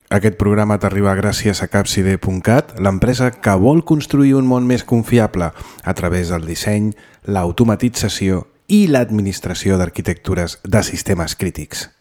Aquest programa t'arriba gràcies a Capcide.cat, l'empresa que vol construir un món més confiable a través del disseny, l'automatització i l'administració d'arquitectures de sistemes crítics.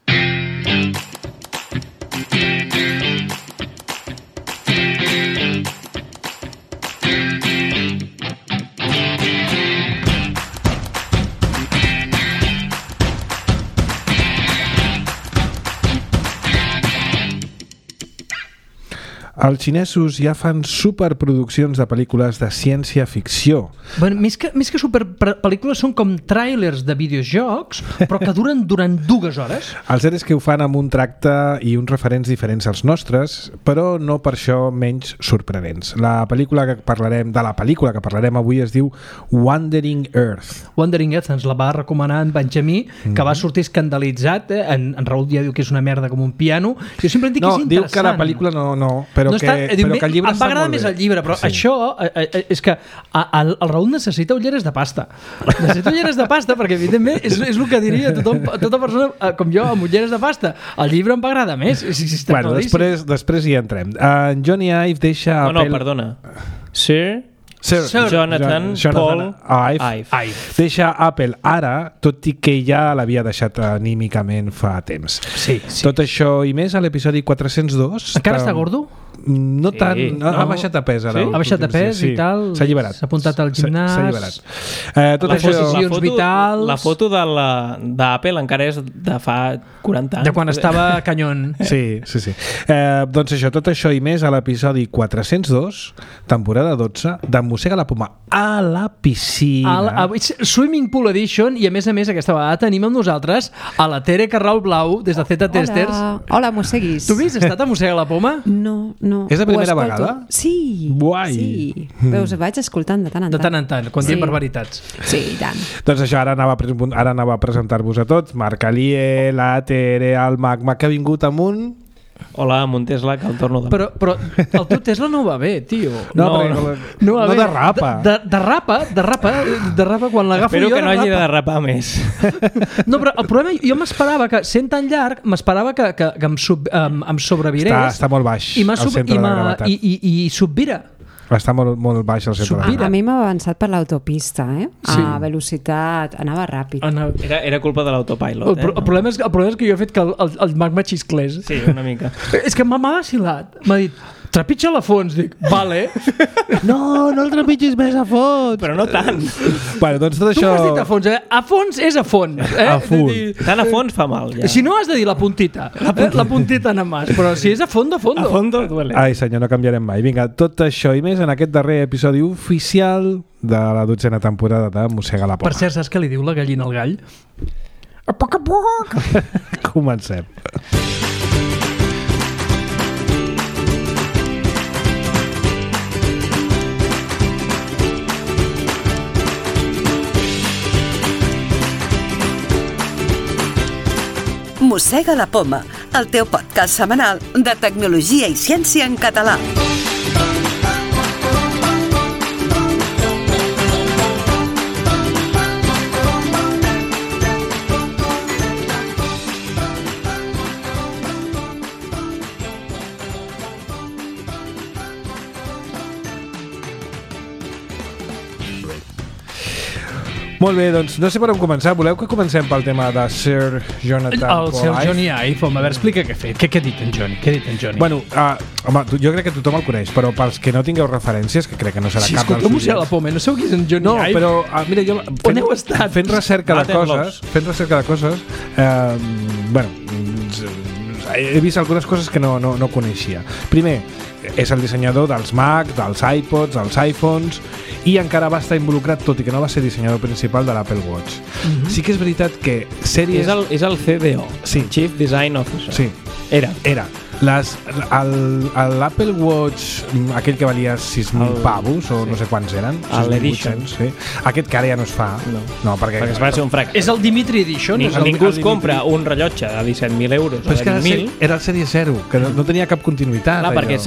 Els xinesos ja fan superproduccions de pel·lícules de ciència-ficció. Bueno, més que superpel·lícules són com tràilers de videojocs, però que duren durant 2 hores. El cert és que ho fan amb un tracte i uns referents diferents als nostres, però no per això menys sorprenents. La pel·lícula que parlarem avui es diu Wandering Earth. Wandering Earth ens la va recomanar en Benjamí, que va sortir escandalitzat. En Raül ja diu que és una merda com un piano. Jo sempre dic que és interessant. No, diu que la pel·lícula no, però que el llibre em va agradar més el llibre, però sí. Això és que el Raül necessita ulleres de pasta. Necessita ulleres de pasta perquè, evidentment, és el que diria tota persona com jo amb ulleres de pasta. El llibre em va agradar més. Bueno, després hi entrem. Johnny Ive deixa... Perdona. Sir Jonathan Paul Ive. Deixa Apple ara, tot i que ja l'havia deixat anímicament fa temps. Sí. Tot això i més a l'episodi 402. Encara està gordo? No tant, ha baixat de pes ara. Sí? Ha baixat de pes i tal. S'ha alliberat. S'ha apuntat al gimnàs. S'ha alliberat. Les decisions vitals. La foto d'Apple encara és de fa 40 anys. De quan estava canyón. Sí. Doncs això, tot això i més a l'episodi 402, temporada 12, de Mossega la Poma a la piscina. Swimming Pool Edition, i a més aquesta vegada tenim amb nosaltres a la Tere Carrau Blau des de Z Testers. Hola, mosseguis. Tu has estat a Mossega la Poma? No. És la primera vegada? Sí. Guai. Sí. Veus, vaig escoltant de tant en tant. De tant en tant, quan diem barbaritats. Sí, i tant. Doncs això, ara anava a presentar-vos a tots. Marc Alier, la Tere, el Magma, que ha vingut amunt. Hola, amb un Tesla que el torno de... Però el teu Tesla no va bé, tio. No derrapa. Derrapa quan l'agafo jo. Espero que no hagi de derrapar més. No, però el problema, jo m'esperava que, sent tan llarg, m'esperava que em sobrevirés. Està molt baix al centre de la gravetat. I subvira. Està molt baix al centre de la gravetat. A mi m'ha avançat per l'autopista, a velocitat, anava ràpid. Era culpa de l'autopilot. El problema és que jo he fet que el Magma xisclés. Sí, una mica. És que m'ha vacilat. M'ha dit, trepitja-la a fons. Dic, vale. No el trepitgis més a fons. Però no tant. Bueno, doncs tot això... Tu m'has dit a fons, A fons és a fons. A fons. Tant a fons fa mal, ja. Si no has de dir la puntita. La puntita nada más. Però si és a fondo. A fondo duele. Ai, senyor, no canviarem mai. Vinga, tot això i més en aquest darrer episodi oficial de la 12a temporada de Mossega la Poma. Per cert, saps què li diu la gallina al gall? A poc a poc. Comencem. Mossega la Poma, el teu podcast setmanal de tecnologia i ciència en català. Molt bé, doncs no sé per on començar. Voleu que comencem pel tema de Sir Jonathan Paul Ive? El Sir Johnny Ive, home, a veure, explica què ha fet. Què ha dit en Johnny? Bueno, home, jo crec que tothom el coneix, però pels que no tingueu referències, que crec que no serà cap dels oients. La Poma, no sabeu qui és en Johnny Ive? No, però mira, jo on heu estat? Fent recerca de coses, bueno, he vist algunes coses que no coneixia. Primer, és el dissenyador dels Mac, dels iPods, dels iPhones, i encara va estar involucrat, tot i que no va ser dissenyador principal de l'Apple Watch. Sí que és veritat que sèries... És el CDO, sí. Chief Design Officer. Sí. Era. L'Apple Watch, aquell que valia 6.000 pavos, o no sé quants eren, l'Edition, sí. Aquest que ara ja no es fa, no perquè es va ser un fracàs. És el Dimitri Edition. Ningú es compra un rellotge de 17.000 euros. Però és que era el Sèrie 0, que no tenia cap continuïtat. Clar, perquè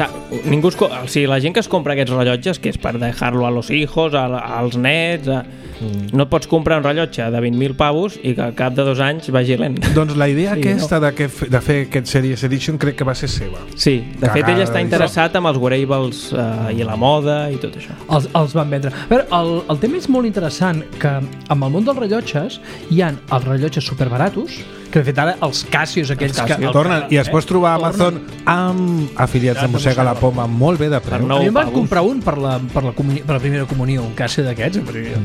la gent que es compra aquests rellotges, que és per dejar-lo a los hijos, als nets, no pots comprar un rellotge de 20.000 pavos i que al cap de 2 anys vagi lent. Doncs la idea aquesta de fer aquest Series Edition crec que va ser seva. Sí, de fet ell està interessat en els wearables i la moda i tot això. Els van vendre. A veure, el tema és molt interessant, que amb el món dels rellotges hi ha els rellotges superbaratos, que de fet ara els Casios aquells tornen, i es pots trobar a Amazon amb afiliats de Mossega la Poma molt bé de preu. A mi em van comprar un per la primera comunió, un Casio d'aquests.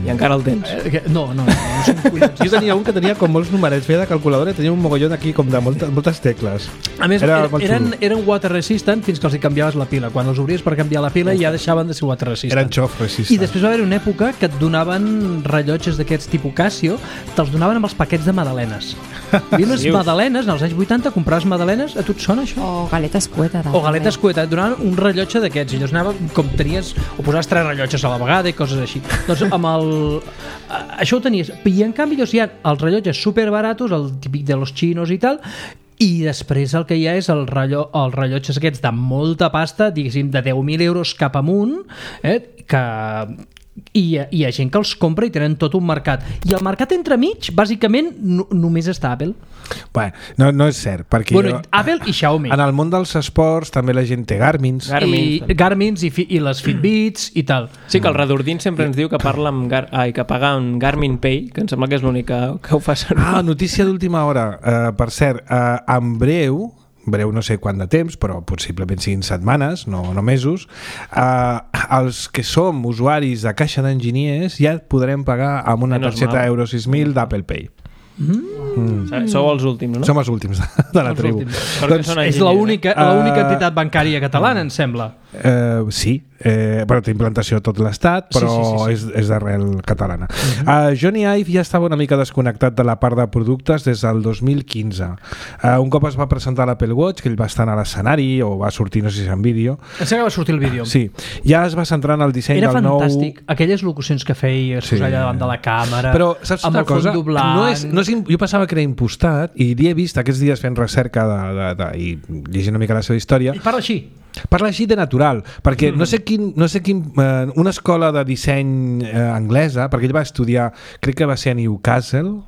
I encara el tens? No són collons. Jo tenia un que tenia com molts numerets, feia de calculadora i tenia un mogollon aquí com de moltes tecles. A més, eren water resistant fins que els hi canviaves la pila. Quan els obries per canviar la pila ja deixaven de ser water resistant. Eren xof resistant. I després va haver una època que et donaven rellotges d'aquests tipus Casio, te'ls donaven amb els paquets de magdalenes. Hi havia unes magdalenes, als anys 80 compraves magdalenes, a tu et sona això? O galetes cueta. O galetes cueta, et donaven un rellotge d'aquests i llavors anava com tenies, o posaves 3 rellotges a la vegada i coses així. Doncs amb això ho tenies. I en canvi hi ha els rellotges superbaratos, el típic de los chinos i tal, i després el que hi ha és els rellotges aquests de molta pasta, diguéssim de 10.000 euros cap amunt, que hi ha gent que els compra i tenen tot un mercat. I el mercat entremig, bàsicament, només està Apple. Bueno, no és cert, perquè Apple i Xiaomi. En el món dels esports també la gent té Garmins i les Fitbits i tal. Sí, que el Redordín sempre ens diu que parla que paga amb Garmin Pay, que em sembla que és l'únic que ho fa servir. Notícia d'última hora. Per cert, en breu no sé quant de temps, però possiblement siguin setmanes, no mesos, els que som usuaris de caixa d'enginyers ja podrem pagar amb una targeta Euro 6000 d'Apple Pay. Sou els últims, no? Som els últims de la tribu. Doncs és l'única entitat bancària catalana, em sembla. Sí, però té implantació a tot l'estat, però sí. És d'arrel catalana. Johnny Ive ja estava una mica desconnectat de la part de productes des del 2015. Un cop es va presentar l'Apple Watch, que ell va estar a l'escenari o va sortir, no sé si en vídeo. Em sembla que va sortir el vídeo. Sí, ja es va centrar en el disseny del nou... Era fantàstic, aquelles locucions que feia, es posava allà davant de la càmera, però saps amb el fons doblant... Jo pensava que era impostat i l'he vist aquests dies fent recerca i llegint una mica la seva història. I parla així. Parla així de natural, perquè no sé quin una escola de disseny anglesa, perquè ell va estudiar, crec que va ser a Newcastle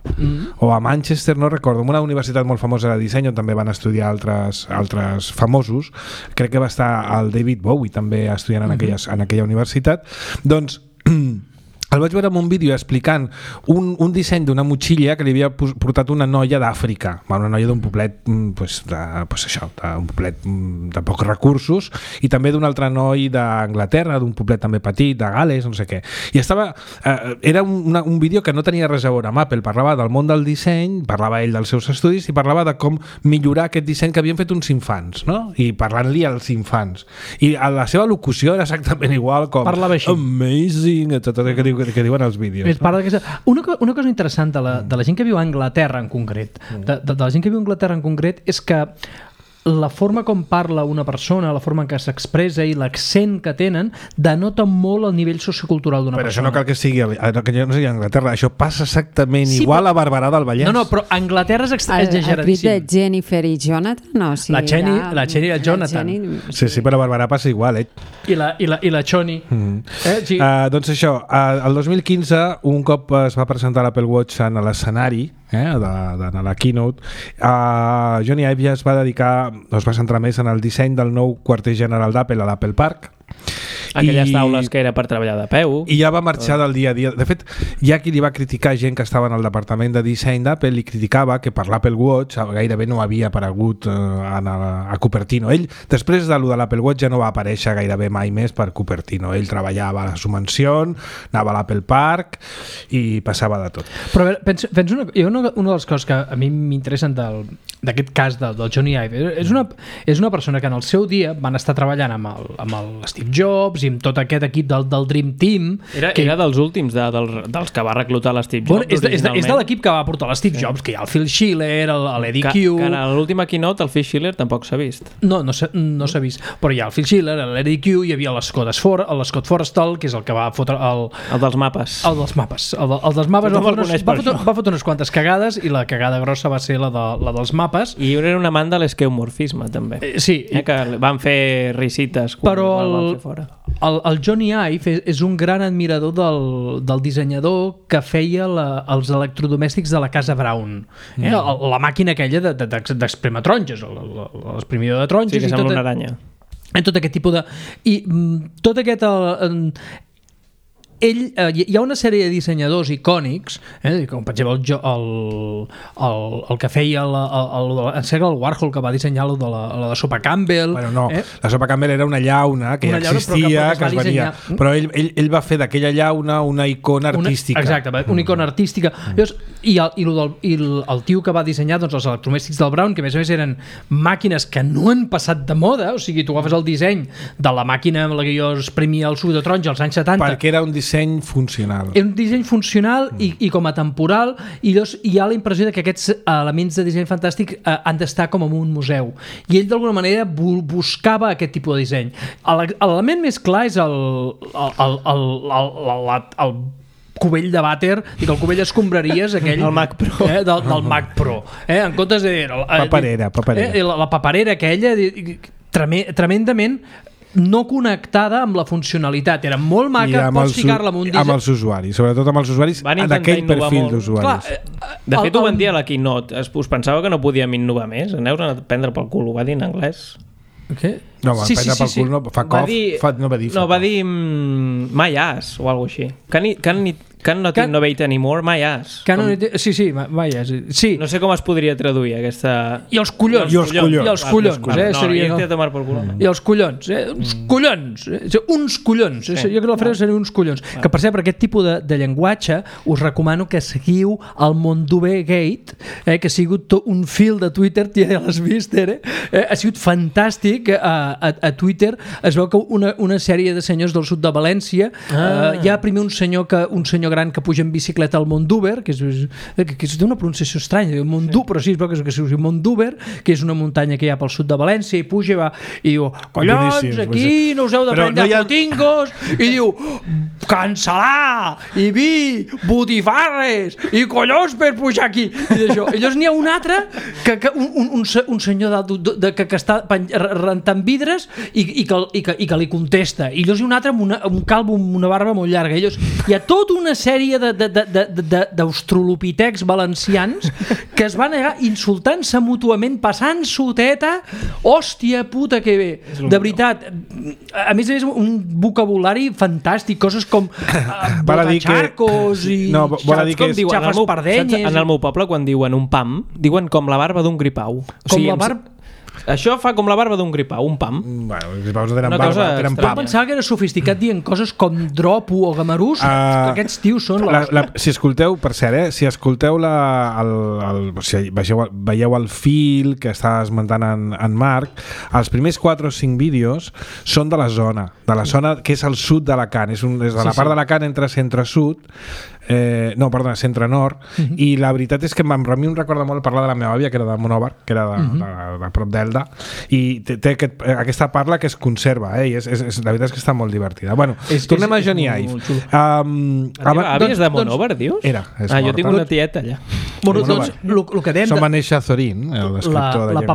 o a Manchester, no recordo, en una universitat molt famosa de disseny on també van estudiar altres famosos. Crec que va estar el David Bowie també estudiant en aquella universitat. Doncs el vaig veure en un vídeo explicant un disseny d'una motxilla que li havia portat una noia d'Àfrica, una noia d'un poblet d'un poblet de pocs recursos, i també d'un altre noi d'Anglaterra, d'un poblet també petit, de Gales, no sé què. I era un vídeo que no tenia res a veure amb Apple, parlava del món del disseny, parlava ell dels seus estudis i parlava de com millorar aquest disseny que havien fet uns infants, no? I parlant-li als infants. I la seva locució era exactament igual com amazing, etc., que diuen els vídeos. Una cosa interessant de la gent que viu a Anglaterra en concret, de la gent que viu a Anglaterra en concret, és que la forma com parla una persona, la forma en què s'expressa i l'accent que tenen denota molt el nivell sociocultural d'una persona. Però això no cal que sigui a Anglaterra, això passa exactament igual a Barberà del Vallès. No, però Anglaterra és exageradíssim. El crit de Jennifer i Jonathan? No, sí, la Jenny i el Jonathan. Sí, però a Barberà passa igual, I la Choni. Sí. Doncs això, el 2015, un cop es va presentar l'Apple Watch en l'escenari, de la keynote, Johnny Ive ja es va centrar més en el disseny del nou quarter general d'Apple a l'Apple Park. Aquelles taules que era per treballar de peu. I ja va marxar del dia a dia. De fet, hi ha qui li va criticar gent que estava en el departament de disseny d'Apple, li criticava que per l'Apple Watch gairebé no havia aparegut a Cupertino. Ell, després de l'Apple Watch, ja no va aparèixer gairebé mai més per Cupertino. Ell treballava a la Sumansion, anava a l'Apple Park i passava de tot. Però a veure, una de les coses que a mi m'interessen d'aquest cas del Johnny Ive és una persona que en el seu dia van estar treballant amb el Steve Jobs i amb tot aquest equip del Dream Team. Era dels últims, dels que va reclutar l'Steve Jobs. És de l'equip que va portar l'Steve Jobs, que hi ha el Phil Schiller, l'Eddie Q... Que a l'última keynote el Phil Schiller tampoc s'ha vist. No s'ha vist. Però hi ha el Phil Schiller, l'Eddie Q, hi havia l'Scott Forstall, que és el que va fotre el dels mapes. El dels mapes. El dels mapes va fotre unes quantes cagades i la cagada grossa va ser la dels mapes. I era un amant de l'esqueumorfisme, també. Sí. Que van fer risites quan el van fer fora. el Johnny Ive és un gran admirador del dissenyador que feia els electrodomèstics de la casa Brown. La màquina aquella d'esprémer taronges, l'exprimidor de taronges. Sí, que sembla una aranya. Tot aquest tipus de... I tot aquest... Hi ha una sèrie de dissenyadors icònics, com per exemple el que feia el Warhol, que va dissenyar la sopa Campbell. Bueno, no, la sopa Campbell era una llauna que ja existia, que es venia, però ell va fer d'aquella llauna una icona artística. Exacte, una icona artística. I el tio que va dissenyar els electrodomèstics del Brown, que a més eren màquines que no han passat de moda, o sigui, tu agafes el disseny de la màquina amb la que jo exprimia el suc de taronja als anys 70, perquè era un disseny funcional. És un disseny funcional i com a temporal, i hi ha la impressió de que aquests elements de disseny fantàstic han d'estar com en un museu. I ell d'alguna manera buscava aquest tipus de disseny. L'element més clar és el cubell de vàter, i que el cubell escombraries aquell el Mac Pro, del Mac Pro, en comptes de paperera. La paperera aquella tremendament no connectada amb la funcionalitat. Era molt maca, pots ficar-la amb un disseny. Amb els usuaris, sobretot amb els usuaris d'aquell perfil d'usuaris. De fet, ho van dir a la Keynote. Us pensava que no podíem innovar més? Aneu a prendre pel cul. Ho va dir en anglès. Què? No, prendre pel cul no, fa cof. No va dir my ass o alguna cosa així. Can not innovate anymore, my ass. Sí, my ass. Sí. No sé com es podria traduir aquesta... I els collons. I els collons. I els collons. Uns collons. Uns collons. Jo crec que la frase seria uns collons. Que per cert, per aquest tipus de llenguatge us recomano que seguiu el Monduber Gate, que ha sigut un fil de Twitter, ja l'has vist, ha sigut fantàstic. A Twitter es veu que una sèrie de senyors del sud de València, hi ha primer un senyor gran que puja en bicicleta al Monduber, que és d'una pronunciació estranya, Mondú, però sí, es veu que es diu Monduber, que és una muntanya que hi ha pel sud de València, i puja i va, i diu, collons, aquí no us heu de prendre putingos, i diu, cancel·lar, i vi, botifarres, i collons per pujar aquí. I llavors n'hi ha un altre, un senyor que està rentant vidres i que li contesta, i llavors hi ha un altre amb un calvo amb una barba molt llarga. Hi ha tota una sèrie d'austrolopitecs valencians que es van anar insultant-se mútuament, passant-s'ho teta, hòstia puta que bé, de veritat. A més un vocabulari fantàstic, coses com botacharcos i xafes pardenyes. En el meu poble, quan diuen un pam, diuen com la barba d'un gripau. Com la barba... Això fa com la barba d'un gripau, un pam. Bueno, els gripaus no tenen barba, tenen pam. Jo pensava que era sofisticat dient coses com dropo o gamarús, que aquests tios són... Si escolteu, per cert, si escolteu si veieu el fil que està esmentant en Marc, els primers 4 o 5 vídeos són de la zona que és al sud d'Alacant, és de la part d'Alacant entre centre-sud, centre-nord, i la veritat és que a mi em recorda molt parlar de la meva àvia, que era de Monòvar, que era de prop d'Elda, i té aquesta parla que es conserva, i la veritat és que està molt divertida. Bueno, tornem a Johnny Ive. Àvies de Monòvar, dius? Era, jo tinc una tieta allà. Doncs el que dèiem... Som va néixer a Zorín, l'escriptor de llengua.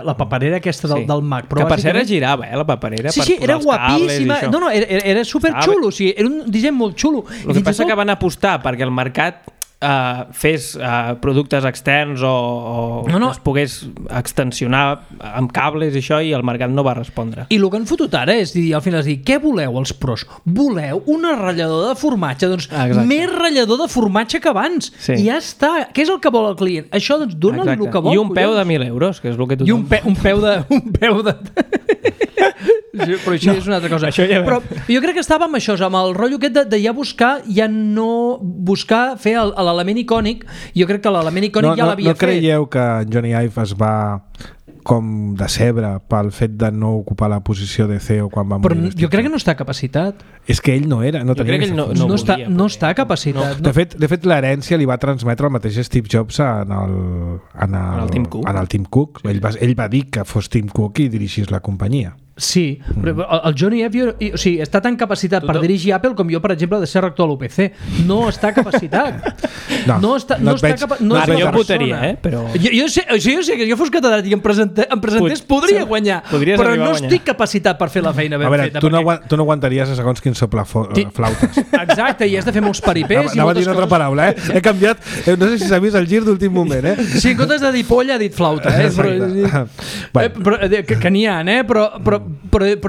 La paperera aquesta del Mac. Que per cert girava, la paperera. Sí, era guapíssima. No, era superxulo, era un disseny molt xulo. El que passa que van apostar perquè el mercat fes productes externs o es pogués extensionar amb cables i això, i el mercat no va respondre. I el que han fotut ara és dir, al final, què voleu els pros? Voleu una ratllador de formatge? Doncs més ratllador de formatge que abans. I ja està. Què és el que vol el client? Això, doncs, dona-li el que vol. I un peu de 1.000 euros, que és el que tothom... I un peu de... Però això és una altra cosa. Però jo crec que estava amb això, amb el rotllo aquest de ja buscar fer l'element icònic. Jo crec que l'element icònic ja l'havia fet. No creieu que Johnny Ive es va com decebre pel fet de no ocupar la posició de CEO quan va morir? Però jo crec que no està capacitat. És que ell no era, no tenia aquesta funció. No està capacitat. De fet, l'herència li va transmetre el mateix Steve Jobs en el Tim Cook. Ell va dir que fos Tim Cook i dirigís la companyia. Sí, però el Johnny Ive està tan capacitat per dirigir Apple com jo, per exemple, de ser rector a l'UPC. No està capacitat. No està capacitat. Jo votaria, però... Jo sé que jo fos catedràtic i em presentés, podria guanyar, però no estic capacitat per fer la feina ben feta. Tu no aguantaries a segons quin sopla flautes. Exacte, i has de fer molts paripés. Anava a dir una altra paraula, He canviat, no sé si s'ha vist el gir d'últim moment, Sí, en comptes de dir polla, ha dit flauta, que n'hi ha, però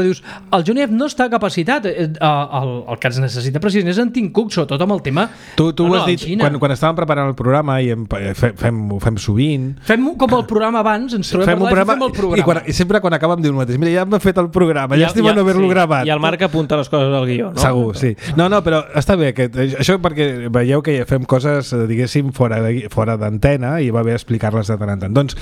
dius, el Johnny Ive no està capacitat. El que ens necessita precisament és en Tim Cook, sobretot amb el tema. Tu ho has dit quan estàvem preparant el programa i ho fem sovint. Fem com el programa abans, ens trobem per live i fem el programa. I sempre quan acabem diu el mateix, mira, ja hem fet el programa, llàstima no haver-lo gravat. I el Marc apunta les coses al guió, no? Segur, sí. No, però està bé, això perquè veieu que fem coses, diguéssim, fora d'antena i va bé explicar-les de tant en tant. Doncs,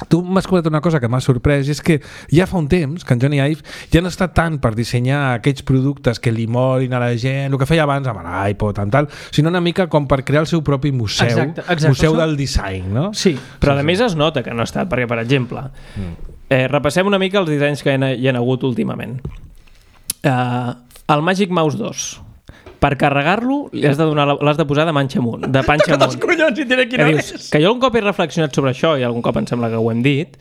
tu m'has comentat una cosa que m'ha sorprès, i és que ja fa un temps que en Johnny Ive ja no està tant per dissenyar aquells productes que li molin a la gent, el que feia abans amb l'iPod, tal, sinó una mica com per crear el seu propi museu, museu del disseny, no? Sí. Però a més es nota que no ha estat, perquè, per exemple, repassem una mica els dissenys que hi ha hagut últimament. El Magic Mouse 2, per carregar-lo l'has de posar de panxa amunt. Els collons, i diré quina és. Que jo algun cop he reflexionat sobre això, i algun cop em sembla que ho hem dit,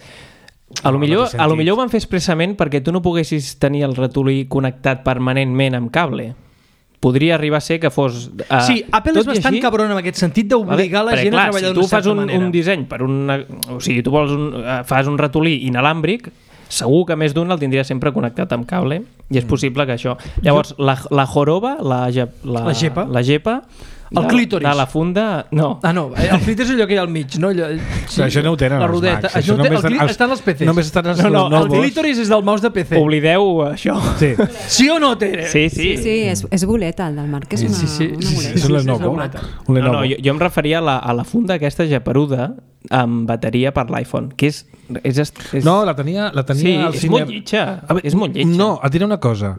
a lo millor ho van fer expressament perquè tu no poguessis tenir el ratolí connectat permanentment amb cable. Podria arribar a ser que fos... Sí, Apple és bastant cabron en aquest sentit d'obligar la gent a treballar d'una certa manera. Si tu fas un disseny per o sigui, tu fas un ratolí inalàmbric, segur que més d'un el tindria sempre connectat amb cable, i és possible que això... Llavors, la joroba, la gepa, el clítoris. De la funda... No. No, el clítoris és allò que hi ha al mig, no? Això no ho tenen la rodeta. Estan els PCs. Només estan els el clítoris és del mouse de PC. Oblideu això. Sí o no, Tere? Sí, és boleta, el del Marc és una boleta. És un Lenovo. No, jo em referia a la funda aquesta geperuda amb bateria per l'iPhone, que és... No, la tenia sí, és molt lletja. És molt lletja. No, et diré una cosa.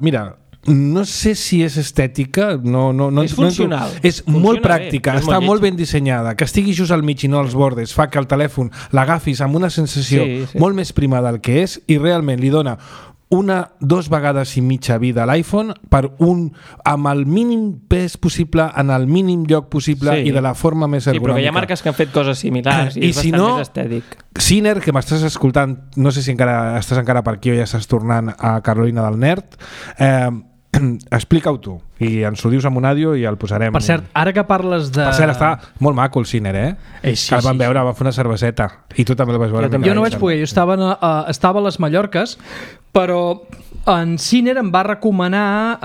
Mira, no sé si és estètica, és funcional. És molt pràctica, està molt ben dissenyada, que estigui just al mig i no als bordes fa que el telèfon l'agafis amb una sensació molt més prima del que és, i realment li dona 2 vegades i mitja vida a l'iPhone amb el mínim pes possible, en el mínim lloc possible i de la forma més ergonòmica. Sí, però que hi ha marques que han fet coses similars i és bastant més estètic. Siner, que m'estàs escoltant, no sé si estàs encara per aquí o ja estàs tornant a Carolina del Nerd, explica-ho tu i ens ho dius amb un àudio i el posarem. Per cert, ara que parles de... Per cert, està molt maco el Siner, sí, que el vam veure, va fer una cerveseta i tu també el vas veure. Jo no vaig poder, jo estava a les Mallorques, però en Siner em va recomanar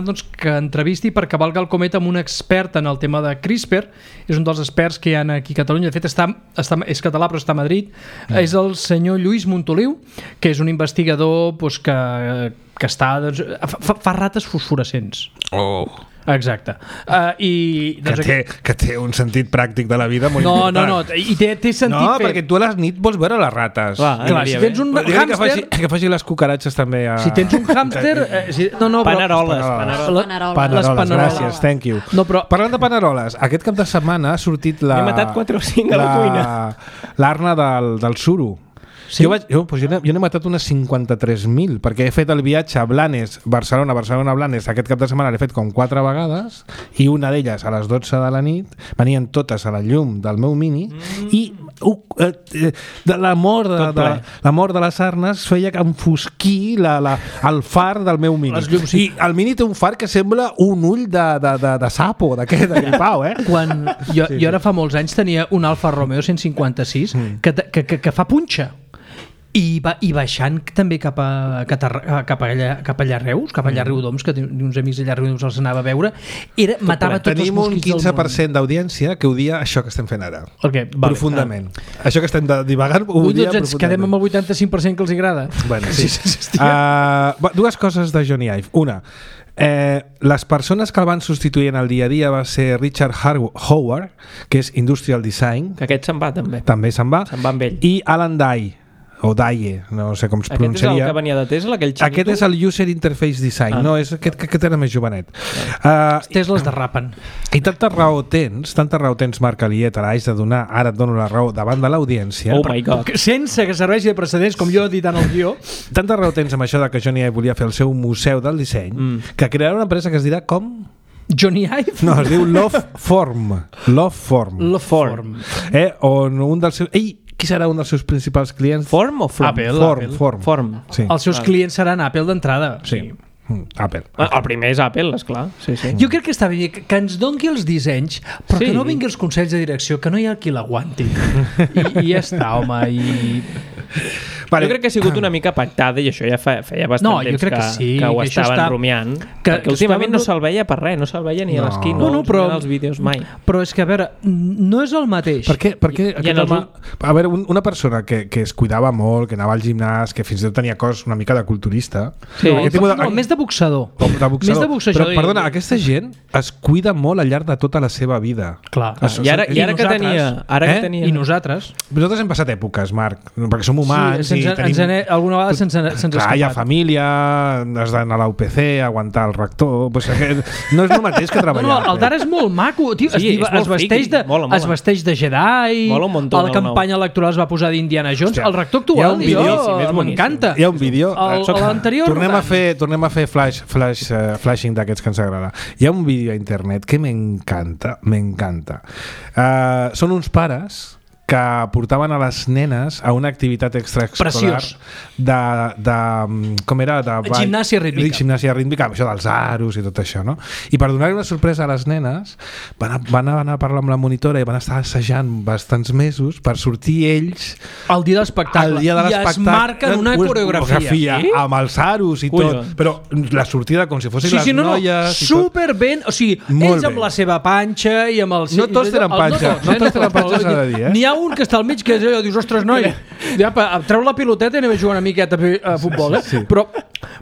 doncs, que entrevisti per cavalgar el cometa amb un expert en el tema de CRISPR. És un dels experts que hi ha aquí a Catalunya, de fet és català però està a Madrid. És el senyor Lluís Montoliu, que és un investigador que està, doncs, fa rates fosforescents. Exacte. Que té un sentit pràctic de la vida molt important. No, i té sentit fer... No, perquè tu a les nit vols veure les rates. Clar, si tens un hàmster... Que faci les cucaratges també a... Si tens un hàmster... Paneroles, gràcies, thank you. Parlant de paneroles, aquest cap de setmana ha sortit He matat 4 o 5 a la cuina. L'arna del suro. Sí? Jo n'he matat unes 53.000 perquè he fet el viatge a Blanes, Barcelona-Blanes, aquest cap de setmana l'he fet com 4 vegades, i una d'elles a les 12 de la nit, venien totes a la llum del meu Mini i la mort de les arnes feia que enfosquí el far del meu Mini. I el Mini té un far que sembla un ull de sapo, d'aquest, de gripau, Quan jo ara fa molts anys tenia un Alfa Romeo 156 que fa punxa. I baixant també cap allà a Reus, cap allà a Riudoms, que uns amics allà a Riudoms els anava a veure, matava tots els mosquits del món. Tenim un 15% d'audiència que odia això que estem fent ara. Profundament. Això que estem divagant ho odia profundament. Ens quedem amb el 85% que els agrada. Bueno, sí. Dues coses de Johnny Ive. Una, les persones que el van substituir en el dia a dia va ser Richard Howard, que és Industrial Design, que aquest se'n va també se'n va amb ell, i Alan Dye, o DAIE, no sé com es pronunciaria. Aquest és el que venia de Tesla, aquell xinito? Aquest és el User Interface Design, no, és aquest era més jovenet. Els Teslas derrapen. I tanta raó tens, Marc Aliet, ara et dono la raó davant de l'audiència. Oh my God. Sense que serveixi de precedents, com jo he dit en el guió. Tanta raó tens amb això de que Johnny Ive volia fer el seu museu del disseny, que crearà una empresa que es dirà com... Johnny Ive? No, es diu Loveform. Loveform. On un dels seus... Qui serà un dels seus principals clients? Form o From? Apple. Form. Sí. Els seus clients seran Apple d'entrada. Sí. Apple. El primer és Apple, esclar. Sí. Jo crec que està bé que ens doni els dissenys, però que no vingui els consells de direcció, que no hi ha qui l'aguanti. I ja està, home. Vale. Jo crec que ha sigut una mica pactada i això ja feia bastant temps que ho estaven rumiant, perquè últimament no se'l veia per res, no se'l veia ni a l'esquina, ni als vídeos mai. Però és que, a veure, no és el mateix. Per què a veure, una persona que es cuidava molt, que anava al gimnàs, que fins i tot tenia cos una mica de culturista... Més de boxador. Més de boxejador. Però, perdona, aquesta gent es cuida molt al llarg de tota la seva vida. Clar. I ara que tenia... I nosaltres? Nosaltres hem passat èpoques, Marc, perquè som humans. Alguna vegada se'ns escapat. Hi ha família, has d'anar a la UPC, aguantar el rector... No és el mateix que treballar. No, el d'ara és molt maco, tio. Es vesteix de Jedi, a la campanya electoral es va posar d'Indiana Jones, el rector actual, m'encanta. Hi ha un vídeo. L'anterior... Tornem a fer flashing d'aquests que ens agrada. Hi ha un vídeo a internet que m'encanta. Són uns pares que portaven a les nenes a una activitat extraescolar com era? Gimnàsia rítmica. Gimnàsia rítmica, això dels aros i tot això, no? I per donar-li una sorpresa a les nenes van anar a parlar amb la monitora i van estar assajant bastants mesos per sortir ells el dia de l'espectacle. I es marquen una coreografia amb els aros i tot, però la sortida com si fossin les noies super ben, o sigui, ells amb la seva panxa i amb el... No tots tenen panxa, s'ha de dir, N'hi ha un que està al mig que és allò, dius, ostres, noi, treu la piloteta i anem a jugar una miqueta a futbol,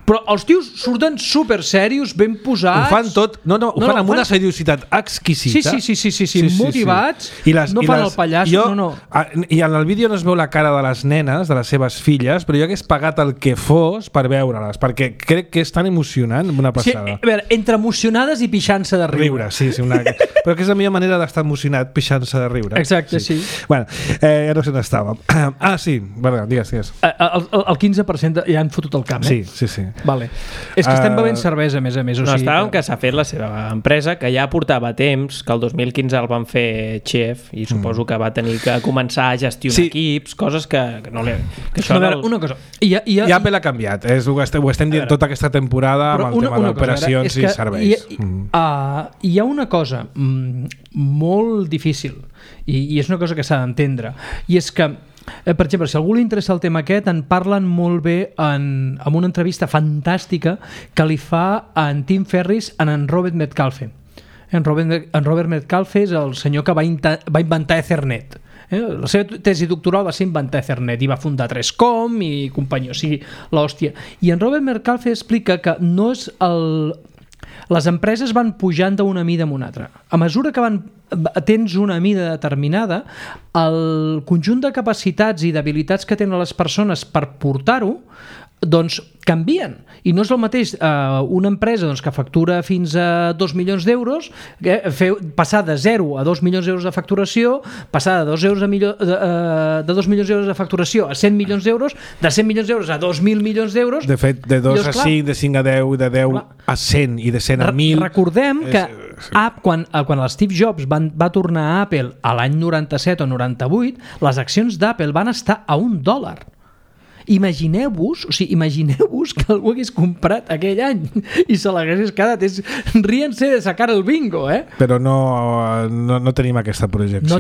Però els tios surten super serios, ben posats. Ho fan tot, ho fan amb una seriositat exquisita. Sí, motivats, no fan el pallasso, I en el vídeo no es veu la cara de les nenes, de les seves filles, però jo hagués pagat el que fos per veure-les, perquè crec que és tan emocionant, una passada. A veure, entre emocionades i pixant-se de riure. Però que és la millor manera d'estar emocionat, pixant-se de riure. Exacte, sí. Bueno, ja no sé on estàvem. Sí, digues. El 15% ja han fotut el camp, Sí. Vale. És que estem bevent cervesa, a més a més. Estàvem que s'ha fet la seva empresa, que ja portava temps, que el 2015 el van fer xef, i suposo que va tenir que començar a gestionar equips, coses que no li... Una cosa... I Apple ha canviat, ho estem dient tota aquesta temporada amb el tema d'operacions i serveis. Hi ha una cosa molt difícil, i és una cosa que s'ha d'entendre, i és que per exemple, si a algú li interessa el tema aquest, en parlen molt bé en una entrevista fantàstica que li fa en Tim Ferriss en Robert Metcalfe. En Robert Metcalfe és el senyor que va inventar Ethernet. La seva tesi doctoral va ser inventar Ethernet i va fundar 3Com i companyia, o sigui, l'hòstia. I en Robert Metcalfe explica que no és les empreses van pujant d'una mida en una altra. A mesura que tens una mida determinada, el conjunt de capacitats i d'habilitats que tenen les persones per portar-ho doncs canvien, i no és el mateix una empresa que factura fins a 2 milions d'euros, passar de 0 a 2 milions d'euros de facturació, passar de 2 milions d'euros de facturació a 100 milions d'euros, de 100 milions d'euros a 2.000 milions d'euros. De fet, de 2 a 5, de 5 a 10, de 10 a 100 i de 100 a 1.000. Recordem que quan Steve Jobs va tornar a Apple a l'any 97 o 98, les accions d'Apple van estar a $1. Imagineu-vos que algú hagués comprat aquell any i se l'hagués quedat. Ríense de sacar el bingo, Però no tenim aquesta projecció. No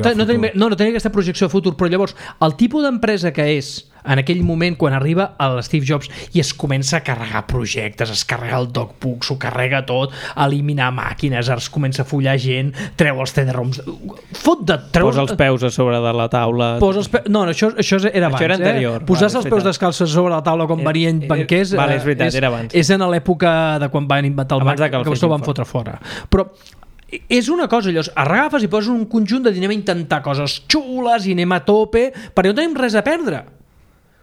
tenim aquesta projecció de futur, però llavors el tipus d'empresa que és en aquell moment quan arriba el Steve Jobs i es comença a carregar projectes, es carrega el DocBook, s'ho carrega tot, eliminar màquines, es comença a follar gent, treu els CD-ROMs, posa els peus a sobre de la taula. Això era abans. Això era anterior. Posar els peus descalços sobre la taula quan venien banquers és veritat, era abans. És en l'època de quan van inventar el Mac, que vostè ho van fotre fora. Però és una cosa, allò, agafes i poses un conjunt de anem a intentar coses xules i anem a tope, perquè no tenim res a perdre.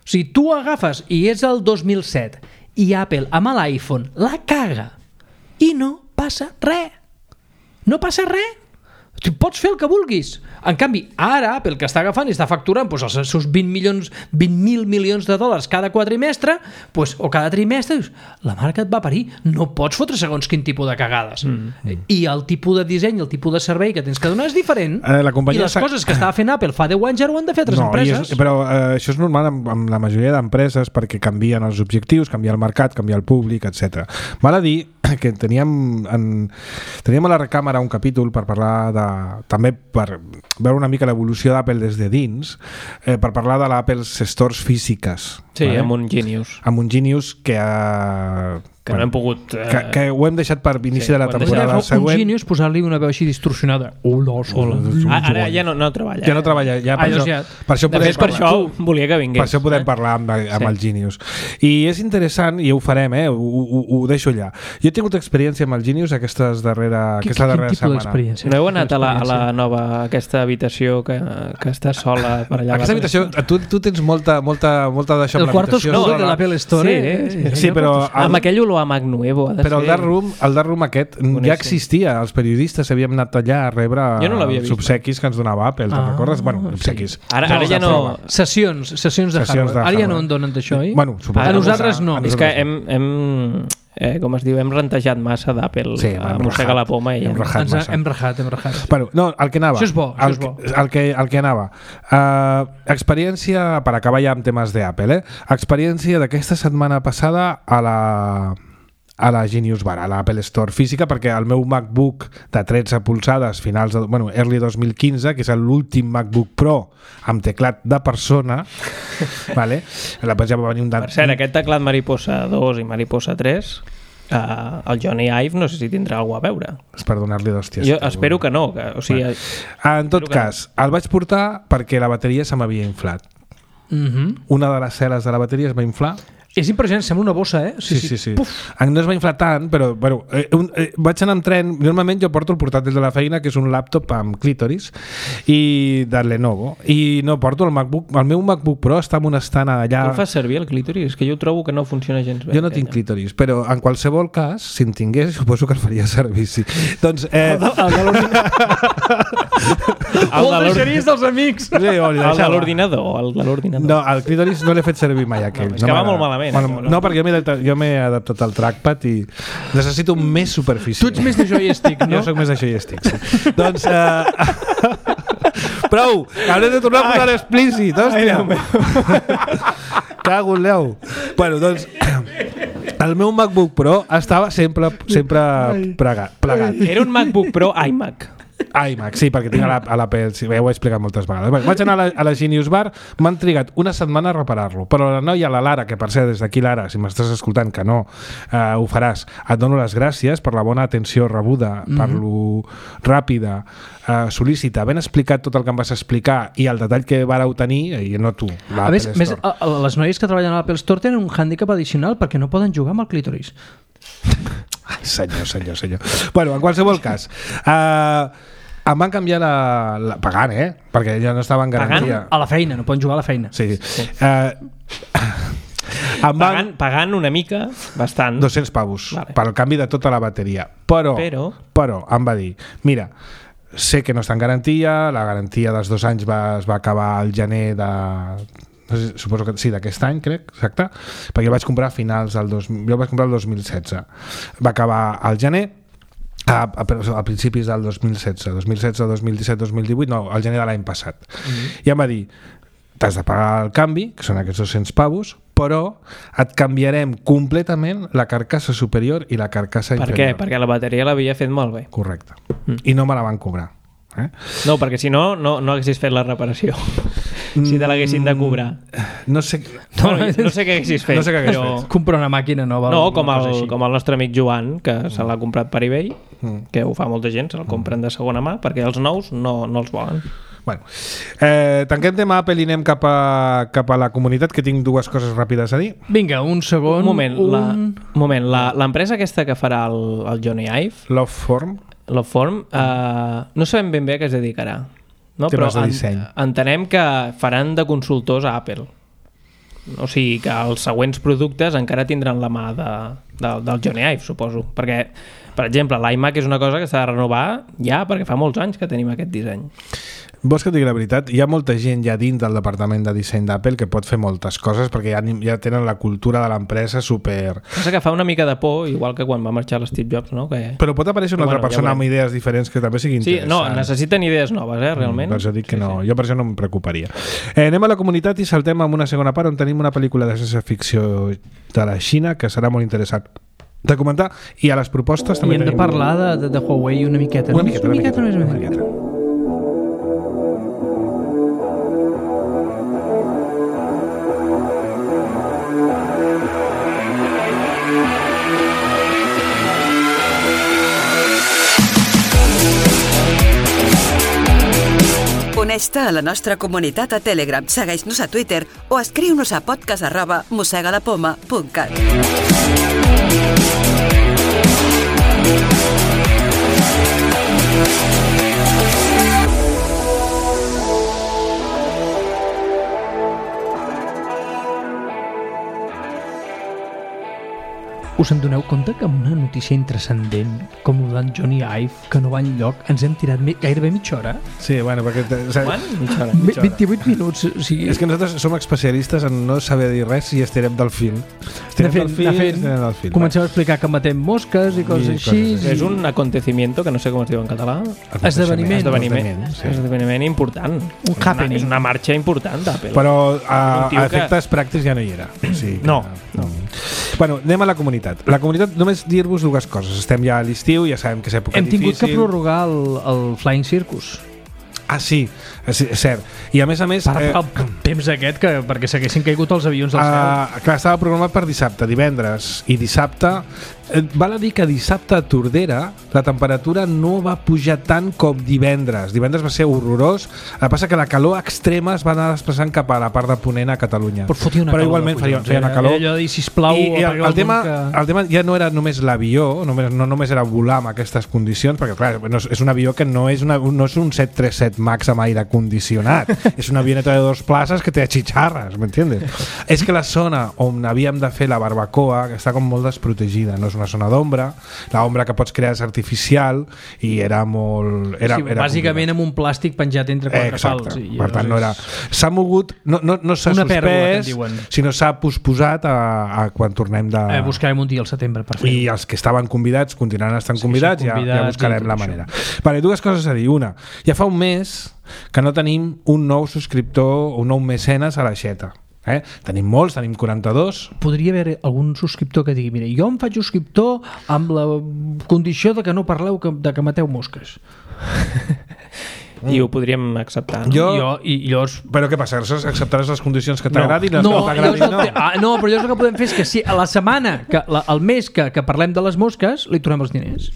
O sigui, tu agafes i és el 2007 i Apple amb l'iPhone la caga i no passa res. No passa res. Tu pots fer el que vulguis. En canvi, ara Apple, que està agafant i està facturant els seus 20.000 milions de dòlars cada quadrimestre, o cada trimestre, la marca et va parir. No pots fotre segons quin tipus de cagades. I el tipus de disseny, el tipus de servei que tens que donar és diferent. I les coses que estava fent Apple fa 10 anys ara ho han de fer altres empreses. Però això és normal amb la majoria d'empreses perquè canvien els objectius, canvia el mercat, canvia el públic, etc. Val a dir que teníem a la recàmera un capítol per parlar també per veure una mica l'evolució d'Apple des de dins, per parlar de l'Apple Stores físiques. Sí, amb un Genius. Amb un Genius que no hem pogut... Que ho hem deixat per inici de la temporada següent. Un Genius, posar-li una veu així distorsionada. Hola. Ara ja no treballa. Ja no treballa. Per això volia que vingués. Per això podem parlar amb el Genius. I és interessant, i ho farem, ho deixo allà. Jo he tingut experiència amb el Genius aquesta darrera setmana. Quin tipus d'experiència? No heu anat a la nova, aquesta habitació que està sola per allà? Aquesta habitació, tu tens molta d'això amb l'habitació. El quarto oscuro de l'Apple Store. Sí, però... Amb aquell olor a Mac Nuevo. Però el dark room aquest ja existia. Els periodistes havíem anat allà a rebre els obsequis que ens donava Apple. Te'n recordes? Bueno, obsequis. Ara ja no... Sessions de hardware. Ara ja no en donen d'això, oi? Bueno, a nosaltres no. És que com es diu, hem rentejat massa d'Apple. Sí, a mossegar la poma i hem rajat. Bueno, no, el que anava. Això és bo. El que anava. Experiència, per acabar ja amb temes d'Apple, experiència d'aquesta setmana passada a la Genius Bar, a l'Apple Store física, perquè el meu MacBook de 13 polzades early 2015, que és l'últim MacBook Pro amb teclat de persona, vale? Ja va venir Per cert, aquest teclat Mariposa 2 i Mariposa 3, el Johnny Ive no sé si tindrà alguna a veure. És per donar-li d'hòsties. Jo espero que no. En tot cas, el vaig portar perquè la bateria se m'havia inflat. Una de les cel·les de la bateria es va inflar. És impressionant, sembla una bossa, Sí. No es va inflar tant, però vaig anar amb tren. Normalment jo porto el portàtil de la feina, que és un laptop amb clítoris, i de Lenovo, i no porto el MacBook. El meu MacBook Pro està en un estant allà... Tu el fas servir, el clítoris? És que jo trobo que no funciona gens bé. Jo no tinc clítoris, però en qualsevol cas, si en tingués, suposo que el faria servir, sí. Doncs... El deixaries dels amics. El de l'ordinador. No, el clítoris no l'he fet servir mai, aquell. És que va molt malament. No, perquè jo m'he adaptat al trackpad i necessito més superfície. Tu ets més de joystick, no? Jo soc més de joystick, sí. Doncs... Prou! Hauré de tornar a posar explícit, hòstia! Cago en l'eu! Bueno, doncs... El meu MacBook Pro estava sempre plegat. Era un MacBook Pro iMac. iMac, sí, perquè tinc a l'Apple, sí, ja ho he explicat moltes vegades. Vaig anar a la Genius Bar, m'han trigat una setmana a reparar-lo, però la noia, la Lara, que per cert, des d'aquí, Lara, si m'estàs escoltant, que no ho faràs, et dono les gràcies per la bona atenció rebuda, per lo ràpida, sol·lícita, ben explicat tot el que em vas explicar i el detall que vareu tenir, i no tu, l'Apple Store. Més, les noies que treballen a l'Apple Store tenen un hàndicap addicional perquè no poden jugar amb el clítoris. Ai, senyor. Bueno, en qualsevol cas, em van canviar pagant, perquè ja no estava en garantia. Pagant a la feina, no poden jugar a la feina. Sí. Pagant una mica, bastant. 200 pavos, vale, per al canvi de tota la bateria. Però em va dir, mira, sé que no està en garantia, la garantia dels 2 anys es va acabar al gener de... No sé, suposo que sí, d'aquest any, crec, exacte, perquè el vaig comprar a finals del jo el vaig comprar el 2016. Va acabar al gener, a principis del 2016, 2017, 2018, no, al gener de l'any passat. I em va dir, t'has de pagar el canvi, que són aquests 200 pavos, però et canviarem completament la carcassa superior i la carcassa inferior. Per què? Perquè la bateria l'havia fet malbé. Correcte. I no me la van cobrar. No, perquè si no haguessis fet la reparació. Si te l'haguessin de cobrar. No sé què haguessis fet. però... Comprar una màquina nova. No, com el nostre amic Joan, que se l'ha comprat per eBay, que ho fa molta gent, se'l compren de segona mà, perquè els nous no els volen. Bueno, tanquem tema Apple i anem cap a la comunitat, que tinc 2 coses ràpides a dir. Vinga, un segon. Un moment, l'empresa aquesta que farà el Johnny Ive, Loveform, no sabem ben bé a què es dedicarà, no? Però de disseny. Entenem que faran de consultors a Apple. O sigui que els següents productes encara tindran la mà del Johnny Ive, suposo. Perquè, per exemple, l'iMac és una cosa que s'ha de renovar ja perquè fa molts anys que tenim aquest disseny. Vols que et digui la veritat? Hi ha molta gent ja dins del departament de disseny d'Apple que pot fer moltes coses perquè ja tenen la cultura de l'empresa super... Passa que fa una mica de por, igual que quan va marxar l'Steve Jobs, no? Però pot aparèixer una altra persona amb idees diferents que també sigui interessant. Sí, no, necessiten idees noves, realment. Per això dic que no, jo per això no em preocuparia. Anem a la comunitat i saltem amb una segona part on tenim una pel·lícula de ciència-ficció de la Xina que serà molt interessant de comentar, i a les propostes també hem de parlar de Huawei una miqueta. Una miqueta. Uneix-te a la nostra comunitat a Telegram, segueix-nos a Twitter o escriu-nos a podcast@mosegalapoma.cat. Us en doneu compte que amb una notícia intrascendent com el d'en Johnny Ive, que no va enlloc, ens hem tirat gairebé mitja hora? Sí, bueno, perquè... Mitja hora. 28 minuts. O sigui... És que nosaltres som especialistes en no saber dir res i estirem del fil. Estirem del fil. Comencem a explicar que matem mosques i coses així. És un acontecimiento, que no sé com es diu en català. Esdeveniment important. Un happening. És una marxa important d'Apple. Però a efectes pràctics ja no hi era. Sí, no. Bueno, anem a la comunitat. La comunitat, només dir-vos dues coses. Estem ja a l'estiu, ja sabem que és època difícil. Hem tingut que prorrogar el Flying Circus. Ah, sí, és cert. I a més... Per el temps aquest, perquè s'haguessin caigut els avions del cel. Clar, estava programat per dissabte, divendres i dissabte. Val a dir que dissabte a Tordera la temperatura no va pujar tant com divendres. Divendres va ser horrorós. El que passa que la calor extrema es va anar desplaçant cap a la part de Ponent a Catalunya. Però igualment feia una calor. Allò de dir, sisplau... I el tema ja no era només l'avió, no només era volar amb aquestes condicions, perquè clar, és un avió que no és un 737 MAX amb aire condicionat. És una avioneta de 2 places que té xitxarres, m'entiendes? És que la zona on havíem de fer la barbacoa està com molt desprotegida, no és una zona d'ombra, l'ombra que pots crear és artificial i era molt... Bàsicament amb un plàstic penjat entre 4 pals. Per tant, no era... S'ha mogut, no s'ha suspès, sinó s'ha posposat a quan tornem de... Buscarem un dia al setembre per fer-ho. I els que estaven convidats continuaran estant convidats, ja buscarem la manera. Vale, dues coses a dir. Una, ja fa un mes que no tenim un nou subscriptor, un nou mecenes a l'aixeta. Tenim molts, tenim 42. Podria haver algun subscriptor que digui, mira, jo em faig subscriptor amb la condició de que no parleu de que mateu mosques. I ho podríem acceptar, no? Però què passa? Acceptaràs les condicions que t'agradin? No, però llavors el que podem fer és que si a la setmana, al mes que parlem de les mosques, li tornem els diners.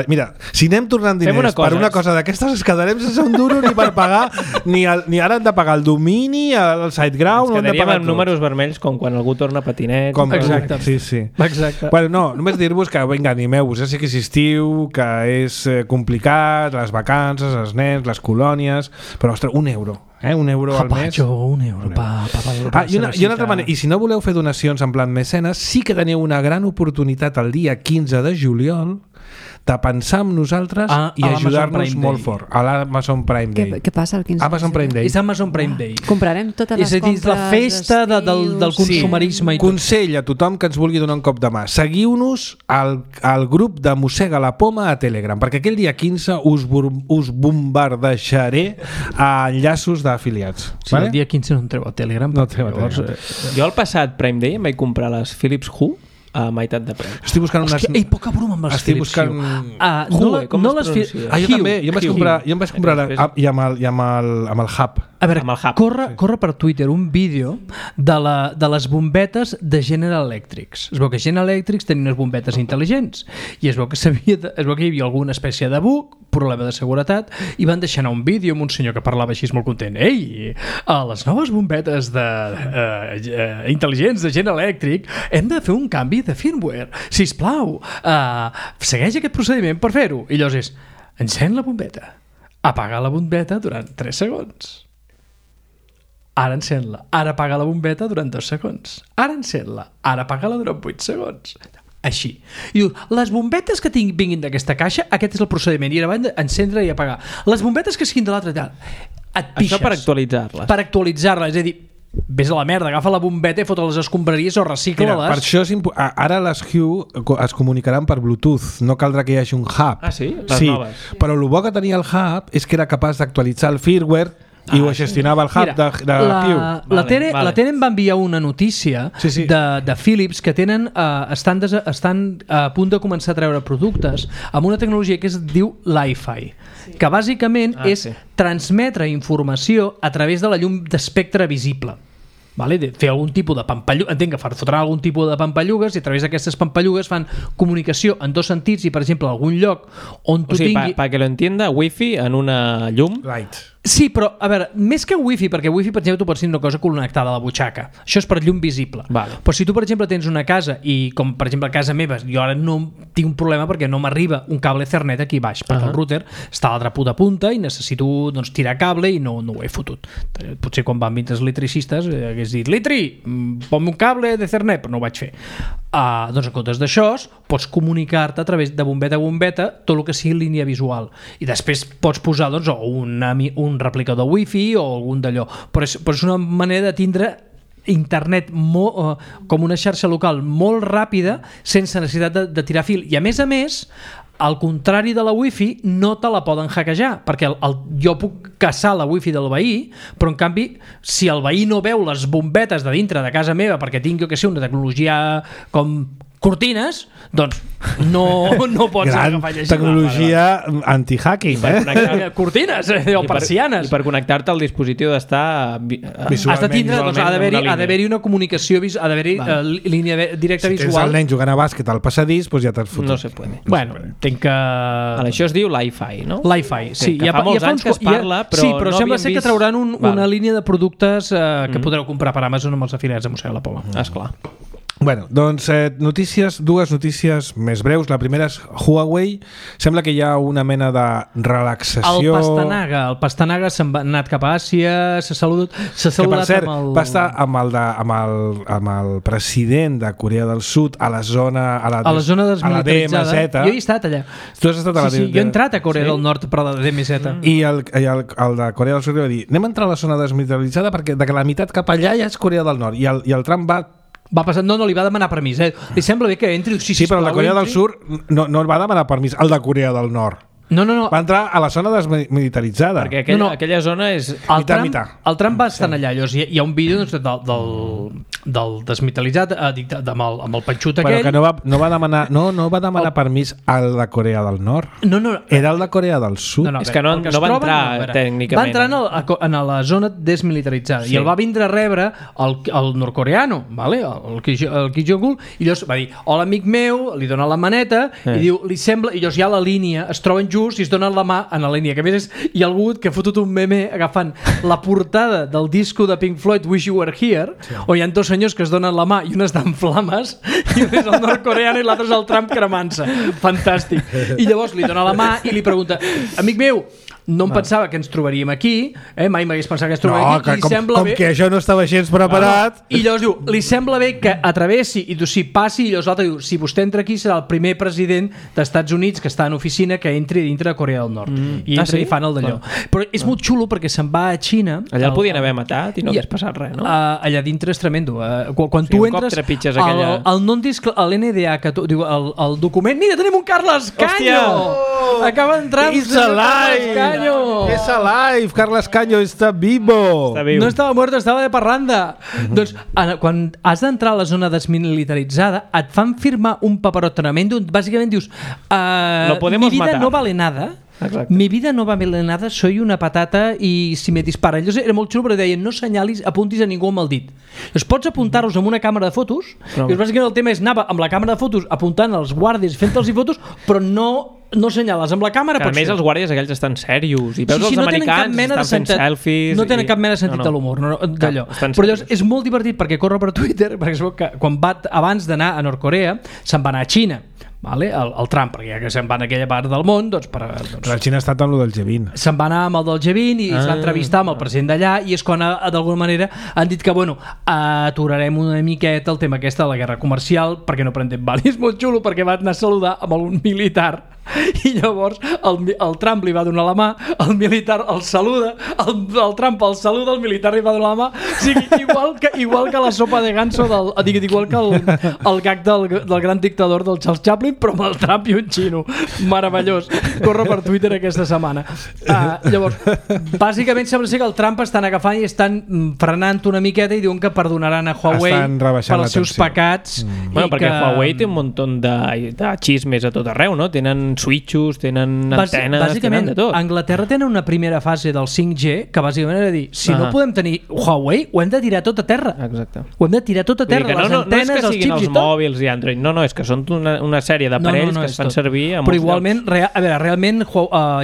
Mira, si anem tornant diners per una cosa d'aquestes, ens quedarem sense un duro ni per pagar ni ara hem de pagar el domini, el SiteGround, ens quedaríem amb números vermells com quan algú torna patinet. Exacte. Sí. Exacte. Bueno, no, només dir-vos que vinga, animeu-vos, ja sé que és estiu, que és complicat, les vacances, els nens, les colònies, però ostres, €1. €1 al mes. €1 I una altra manera, i si no voleu fer donacions en plan mecenes, sí que teniu una gran oportunitat el dia 15 de juliol de pensar en nosaltres i ajudar-nos molt fort a l'Amazon Prime Day. Què passa el 15 Amazon Prime Day? És Amazon Prime Day. Comprarem totes les compres. És a dir, la festa del consumerisme. Sí. Consell a tothom que ens vulgui donar un cop de mà. Seguiu-nos al grup de Mossega la Poma a Telegram, perquè aquell dia 15 us bombardejaré a enllaços d'afiliats. Sí, el dia 15 no entreu a Telegram. No entreu a Telegram. Jo al passat Prime Day em vaig comprar les Philips Hue a meitat de preu. Estic buscant unes... Hòstia, poca broma amb les Philips Hue. Hue, com es pronuncia? Jo també, jo em vaig comprar i amb el Hub. A veure, corre per Twitter un vídeo de les bombetes de General Electric. Es veu que General Electric tenia unes bombetes intel·ligents i es veu que hi havia alguna espècie de bug, problema de seguretat, i van deixar anar un vídeo amb un senyor que parlava així molt content. Ei, a les noves bombetes intel·ligents de General Electric hem de fer un canvi de firmware. Sisplau, segueix aquest procediment per fer-ho. I llavors és, encén la bombeta, apaga la bombeta durant 3 segons. ara encén-la, ara apaga la bombeta durant 2 segons, ara encén-la, ara apaga-la durant 8 segons. Així. I diu, les bombetes que vinguin d'aquesta caixa, aquest és el procediment, i ara van encendre i apagar. Les bombetes que siguin de l'altre, et pixes. Això per actualitzar-les. Per actualitzar-les, és a dir, vés a la merda, agafa la bombeta i fot les escombraries o recicla-les. Per això ara les Hue es comunicaran per Bluetooth, no caldrà que hi hagi un hub. Ah, sí? Les noves. Però el bo que tenia el hub és que era capaç d'actualitzar el firmware i ho gestionava el hub. Mira, de Hue. La Tere em va enviar una notícia de Philips que tenen estan a punt de començar a treure productes amb una tecnologia que es diu Li-Fi, que bàsicament és transmetre informació a través de la llum d'espectre visible. Vale? De fer algun tipus de pampallugues, entenc que fotrà algun tipus de pampallugues i a través d'aquestes pampallugues fan comunicació en 2 sentits i, per exemple, algun lloc on tu tingui... Para que lo entienda, wifi en una llum... Light. Sí, però, a veure, més que wifi, perquè wifi, per exemple, tu pots tenir una cosa connectada a la butxaca. Això és per llum visible. Vale. Però si tu, per exemple, tens una casa i, com per exemple a casa meva, jo ara no tinc un problema perquè no m'arriba un cable Ethernet aquí baix, perquè el router està a l'altra puta punta i necessito tirar cable i no ho he fotut. Potser quan van vindre els electricistes hagués dit, Litri, ponme un cable d'Ethernet, però no ho vaig fer. Doncs en comptes d'això, pots comunicar-te a través de bombeta a bombeta tot el que sigui línia visual. I després pots posar un replicador wifi o algun d'allò, però és una manera de tindre internet com una xarxa local molt ràpida sense necessitat de tirar fil, i a més, al contrari de la wifi, no te la poden hackejar, perquè jo puc caçar la wifi del veí, però en canvi si el veí no veu les bombetes de dintre de casa meva perquè tinc, jo que sé, una tecnologia com cortines, doncs no pots agafar llegir. Tecnologia anti-hacking, cortines o persianes. I per connectar-te al dispositiu d'estar has de tindre, doncs ha d'haver-hi una comunicació, ha d'haver-hi línia directa visual. Si tens el nen jugant a bàsquet al passadís, doncs ja t'has fotut. No se puede. Bueno, tinc que... Això es diu Li-Fi, no? Li-Fi, sí. Que fa molts anys que es parla, però sí, però no sembla ser que trauran una línia de productes que podreu comprar per Amazon amb els afiliats de Museu de la Poma. Esclar. Bueno, doncs dues notícies més breus. La primera és Huawei. Sembla que hi ha una mena de relaxació. El Pastanaga se'n va anat cap a Àsia, s'ha saludat que per cert, va estar amb el president de Corea del Sud a la zona desmilitaritzada. Jo he estat allà. Tu has estat a la jo he entrat a Corea del Nord per la DMZ. I el de Corea del Sud va dir, anem a entrar a la zona desmilitaritzada perquè de la meitat cap allà ja és Corea del Nord, i el Trump va passar, no, li va demanar permís. Li sembla bé que entri... Sí, però el de Corea del Sud no va demanar permís, el de Corea del Nord. No. Va entrar a la zona desmilitaritzada. Perquè aquella zona és... El Trump va estar allà. Hi ha un vídeo del desmilitaritzat amb el panxut aquell. Però que no va demanar permís al de Corea del Nord. No. Era el de Corea del Sud. És que no va entrar tècnicament. Va entrar en la zona desmilitaritzada i el va vindre a rebre el nord-coreano, el Kim Jong-un, i llavors va dir, hola amic meu, li dona la maneta i diu, li sembla, i llavors ja la línia es troben junts i es donen la mà en la línia, que a més hi ha algú que ha fotut un meme agafant la portada del disco de Pink Floyd Wish You Were Here, on hi ha 2 senyors que es donen la mà i un està en flames i un és el nord-coreano i l'altre és el Trump cremant-se. Fantàstic. I llavors li dona la mà i li pregunta, amic meu, no em pensava que ens trobaríem aquí, mai m'hagués pensat que ens trobaríem aquí, i sembla bé... Com que això no estava gens preparat... I llavors diu, li sembla bé que atravessi i si passi, i llavors l'altre diu, si vostè entra aquí serà el primer president d'Estats Units que està en oficina que entri dintre de Corea del Nord. I entra i fan el d'allò. Però és molt xulo perquè se'n va a Xina... Allà el podien haver matat i no hagués passat res, no? Allà dintre és tremendo. Quan tu entres... El non-disc, l'NDA, el document... Mira, tenim un Carles Caño! Acaba d'entrar... It's alive! És alive, Carles Caño està vivo. No estava muerto, estava de parranda. Doncs quan has d'entrar a la zona desmilitaritzada et fan firmar un paperot tremendo, bàsicament dius mi vida no vale nada. Exacte. Mi vida no vale nada, soy una patata i si me disparen. Llavors era molt xulo perquè deien no senyalis, apuntis a ningú amb el dit. Llavors pots apuntar-los amb una càmera de fotos i bàsicament el tema és anar amb la càmera de fotos apuntant als guàrdies, fent-los fotos, però no senyales amb la càmera. A més els guàrdies aquells estan serios i veus els americans estan fent selfies. No tenen cap mena de sentit de l'humor d'allò. Però llavors és molt divertit perquè corre per Twitter, perquè es veu que quan abans d'anar a Nord-Corea se'n va anar a Xina. vale? El Trump, perquè ja que se'n va en aquella part del món, doncs... La Xina ha estat amb el del G20. Se'n va anar amb el del G20 i es va entrevistar amb el president d'allà, i és quan d'alguna manera han dit que, bueno, aturarem una miqueta el tema aquesta de la guerra comercial perquè no prendem val. I és molt xulo perquè va anar a saludar amb un militar i llavors el Trump li va donar la mà, el militar el saluda, el Trump el saluda, el militar li va donar la mà, o sigui, igual que la sopa de ganso igual que el gag del gran dictador del Charles Chaplin, però amb el Trump i un xino. Meravellós. Corre per Twitter aquesta setmana. Llavors, bàsicament sembla ser que el Trump estan agafant i estan frenant una miqueta i diuen que perdonaran a Huawei pels seus pecats. Bueno, perquè Huawei té un munt de xismes a tot arreu, no? Tenen switchos, tenen antenes, bàsicament, tenen de tot. A Anglaterra tenen una primera fase del 5G que bàsicament era dir, si no podem tenir Huawei, ho hem de tirar tot a terra. Exacte. Ho hem de tirar tot a terra, les antenes, els xips i tot. No és que siguin els mòbils i Android, no, és que són una sèrie d'aparells que es fan servir a molts llocs. Però igualment, realment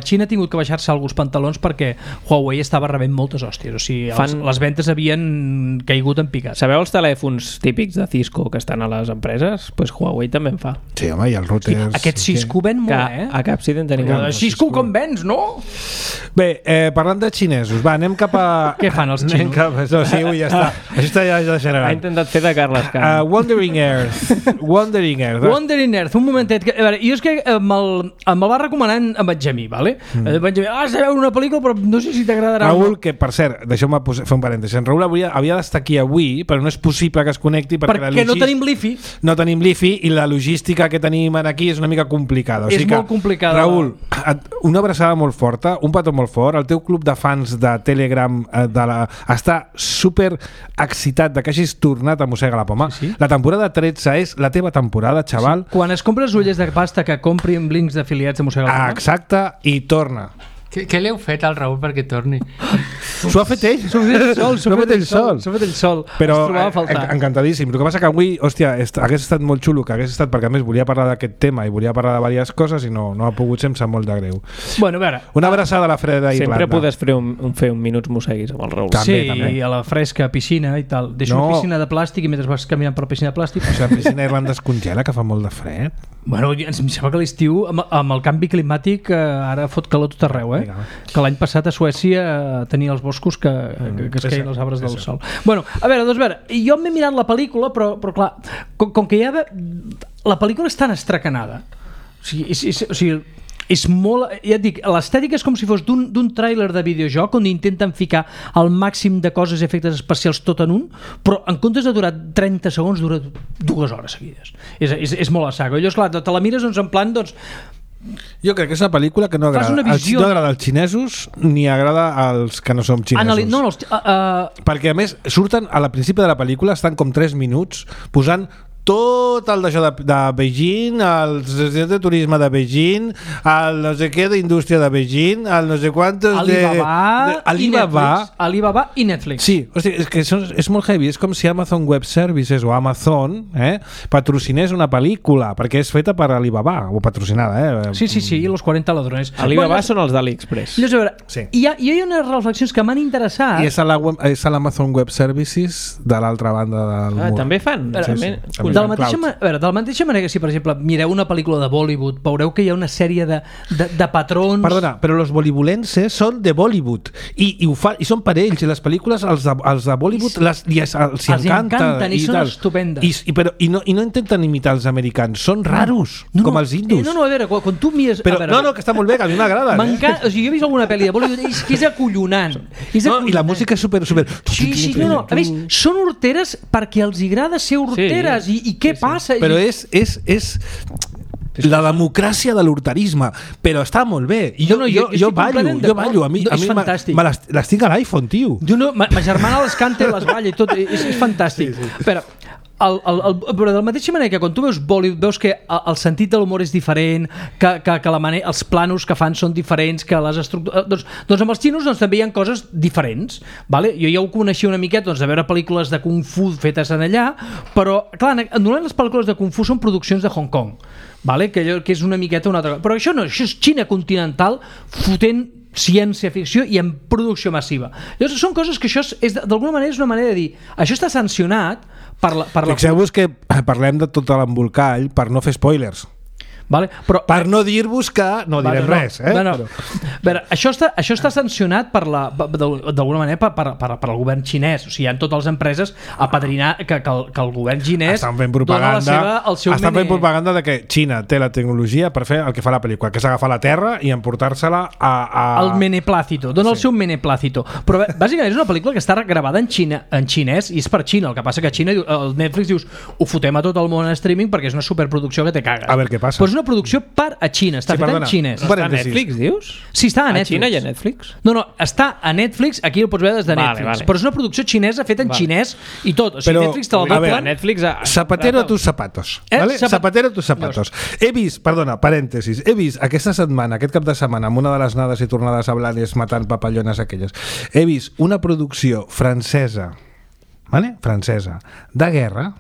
Xina ha tingut que baixar-se alguns pantalons perquè Huawei estava rebent moltes hòsties, o sigui, les ventes havien caigut en picat. Sabeu els telèfons típics de Cisco que estan a les empreses? Doncs Huawei també en fa. Sí, home, i els routers... Aquest Cisco ven molt, a Capsiden tenim Cisco com vens, no? Bé, parlant de xinesos, va, anem cap a... Què fan els xinos? No, sí, ja està. Això està ja generant. Ha intentat fer de Carles Can. Wandering Earth, un momentet. A veure, jo és que me'l va recomanar en Benjamí, vale? Benjamí, has de veure una pel·lícula, però no sé si t'agradarà. Raül, que per cert, deixeu-me fer un parèntesi. En Raül havia d'estar aquí avui, però no és possible que es connecti perquè no tenim l'IFI. No tenim l'IFI i la logística que tenim aquí és una mica complicada. És molt complicada. Raül, una abraçada molt forta, un petó molt fort. El teu club de fans de Telegram està super excitat de que hagis tornat a Mossega la Poma. Sí. La temporada 13 és la teva temporada, xaval. Sí. Quan es compres ulles de pasta que comprin links d'afiliats de Mossega la Poma. Exacte, i torna. Què li heu fet al Raül perquè torni? S'ho ha fet ell. S'ho ha fet ell sol. Però encantadíssim. El que passa que avui, hòstia, hagués estat molt xulo, que hagués estat, perquè a més volia parlar d'aquest tema i volia parlar de diverses coses i no ha pogut ser, em sap molt de greu. Bueno, a veure, una abraçada a la freda d'Irlanda. Sempre podes fer un minuts mosseguis amb el Raül. També. I a la fresca piscina i tal. Deixo una piscina de plàstic i mentre vas caminant per la piscina de plàstic... O sigui, la piscina d'Irlanda es congela, que fa molt de fred. Bueno, em sembla que l'estiu, amb el canvi climàtic, ara fot calor tot arreu, que l'any passat a Suècia tenia els boscos que es queien els arbres del sol. Bueno, a veure, jo m'he mirat la pel·lícula, però clar, com que la pel·lícula és tan estracanada, o sigui, és molt, ja et dic, l'estètica és com si fos d'un tràiler de videojoc on intenten ficar el màxim de coses i efectes especials tot en un, però en comptes de durar 30 segons dura 2 hores seguides. És molt a saco. Llavors, clar, te la mires en plan, jo crec que és una pel·lícula que no agrada als xinesos ni agrada als que no som xinesos. Perquè a més surten a la principi de la pel·lícula, estan com 3 minuts posant tot el d'això de Beijing, el de turisme de Beijing, el no sé què d'indústria de Beijing, el no sé quantos Alibaba i Netflix. Sí, hosti, és que és molt heavy, és com si Amazon Web Services o Amazon patrocinés una pel·lícula, perquè és feta per Alibaba, o patrocinada. Sí, i los 40 ladrones. Alibaba són els d'AliExpress. A veure, hi ha unes reflexions que m'han interessat. I és a l'Amazon Web Services de l'altra banda del mur. També fan? De la mateixa manera que si, per exemple, mireu una pel·lícula de Bollywood, veureu que hi ha una sèrie de patrons... Perdona, però els bollywoodlenses són de Bollywood i són per ells, i les pel·lícules els de Bollywood els encanten i són estupendes. I no intenten imitar els americans, són raros, com els indus. No, a veure, quan tu mires... No, que està molt bé, que a mi m'agrada. O sigui, jo he vist alguna pel·li de Bollywood i és acollonant. I la música és super... Sí, no. A més, són horteres perquè els agrada ser horteres. I què passa? Però és la democràcia de l'horterisme, però està molt bé. Jo ballo. A mi les tinc a l'iPhone, tio. Ma germana les canta i les balla i tot. És fantàstic. Però de la mateixa manera que quan tu veus Bollywood veus que el sentit de l'humor és diferent, que els planos que fan són diferents, que les estructures... Doncs amb els xinos també hi ha coses diferents, vale? Jo ja ho coneixia una miqueta de veure pel·lícules de Kung Fu fetes en allà, però clar, normalment les pel·lícules de Kung Fu són produccions de Hong Kong, vale? Que és una miqueta una altra cosa, però això no, això és Xina continental fotent ciència-ficció i en producció massiva. Llavors són coses que això d'alguna manera és una manera de dir, això està sancionat per la... Fixeu-vos que parlem de tot l'embolcall per no fer spoilers. Vale? Però, per no dir-vos que no direm res. No. A veure, això està sancionat d'alguna manera per al govern xinès. O sigui, hi ha totes les empreses a padrinar que el govern xinès estan fent propaganda, fent propaganda de que Xina té la tecnologia per fer el que fa la pel·lícula, que és agafar la terra i emportar-se-la al meneplácito. Dona el seu meneplácito. Però bàsicament és una pel·lícula que està gravada en xinès i és per Xina. El que passa que a Xina, el Netflix dius, ho fotem a tot el món en streaming perquè és una superproducció que te caga. A veure què passa. Però és una producció per a Xina, està feta en xinès. Està a Netflix, dius? Sí, està a Netflix. A Xina hi ha Netflix? No, està a Netflix, aquí ho pots veure des de Netflix. Però és una producció xinesa feta en xinès i tot. O sigui, Netflix te la doblen. Netflix Zapatero a tus zapatos. ¿Vale? Zapatero a tus zapatos. He vist, perdona, parèntesis, aquesta setmana, aquest cap de setmana, amb una de les anades i tornades a Blanes matant papallones aquelles, he vist una producció francesa, ¿vale? Francesa, de guerra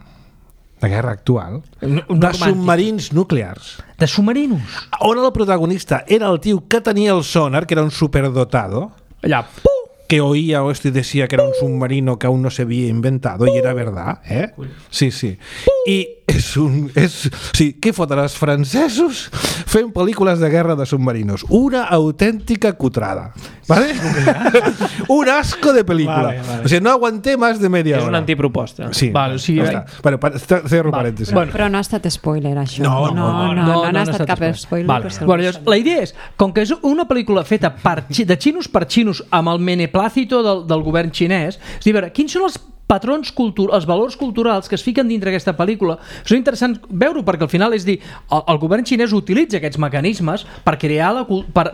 actual, de submarins nuclears. De submarinos? On el protagonista era el tio que tenia el sonar, que era un superdotado. Allà, que oía esto y decía que era un submarino que aún no se había inventado y era verdad, ¿eh? Sí. I què foten els francesos fent pel·lícules de guerra de submarinos? Una autèntica cutrada, ¿vale? Un asco de pel·lícula. Vale. O sigui, no aguanté más de media hora. És una antiproposta. Sí. Vale, sí, bueno, cerro parèntesis. Però no ha estat spoiler, això. No ha estat cap spoiler. Vale. Bueno, llavors, la idea és, com que és una pel·lícula feta de xinos per xinos amb el meneplácito del govern xinès, és a dir, quins són els patrons culturals, els valors culturals que es fiquen dintre aquesta pel·lícula. És interessant veure-ho perquè al final és dir, el govern xinès utilitza aquests mecanismes per crear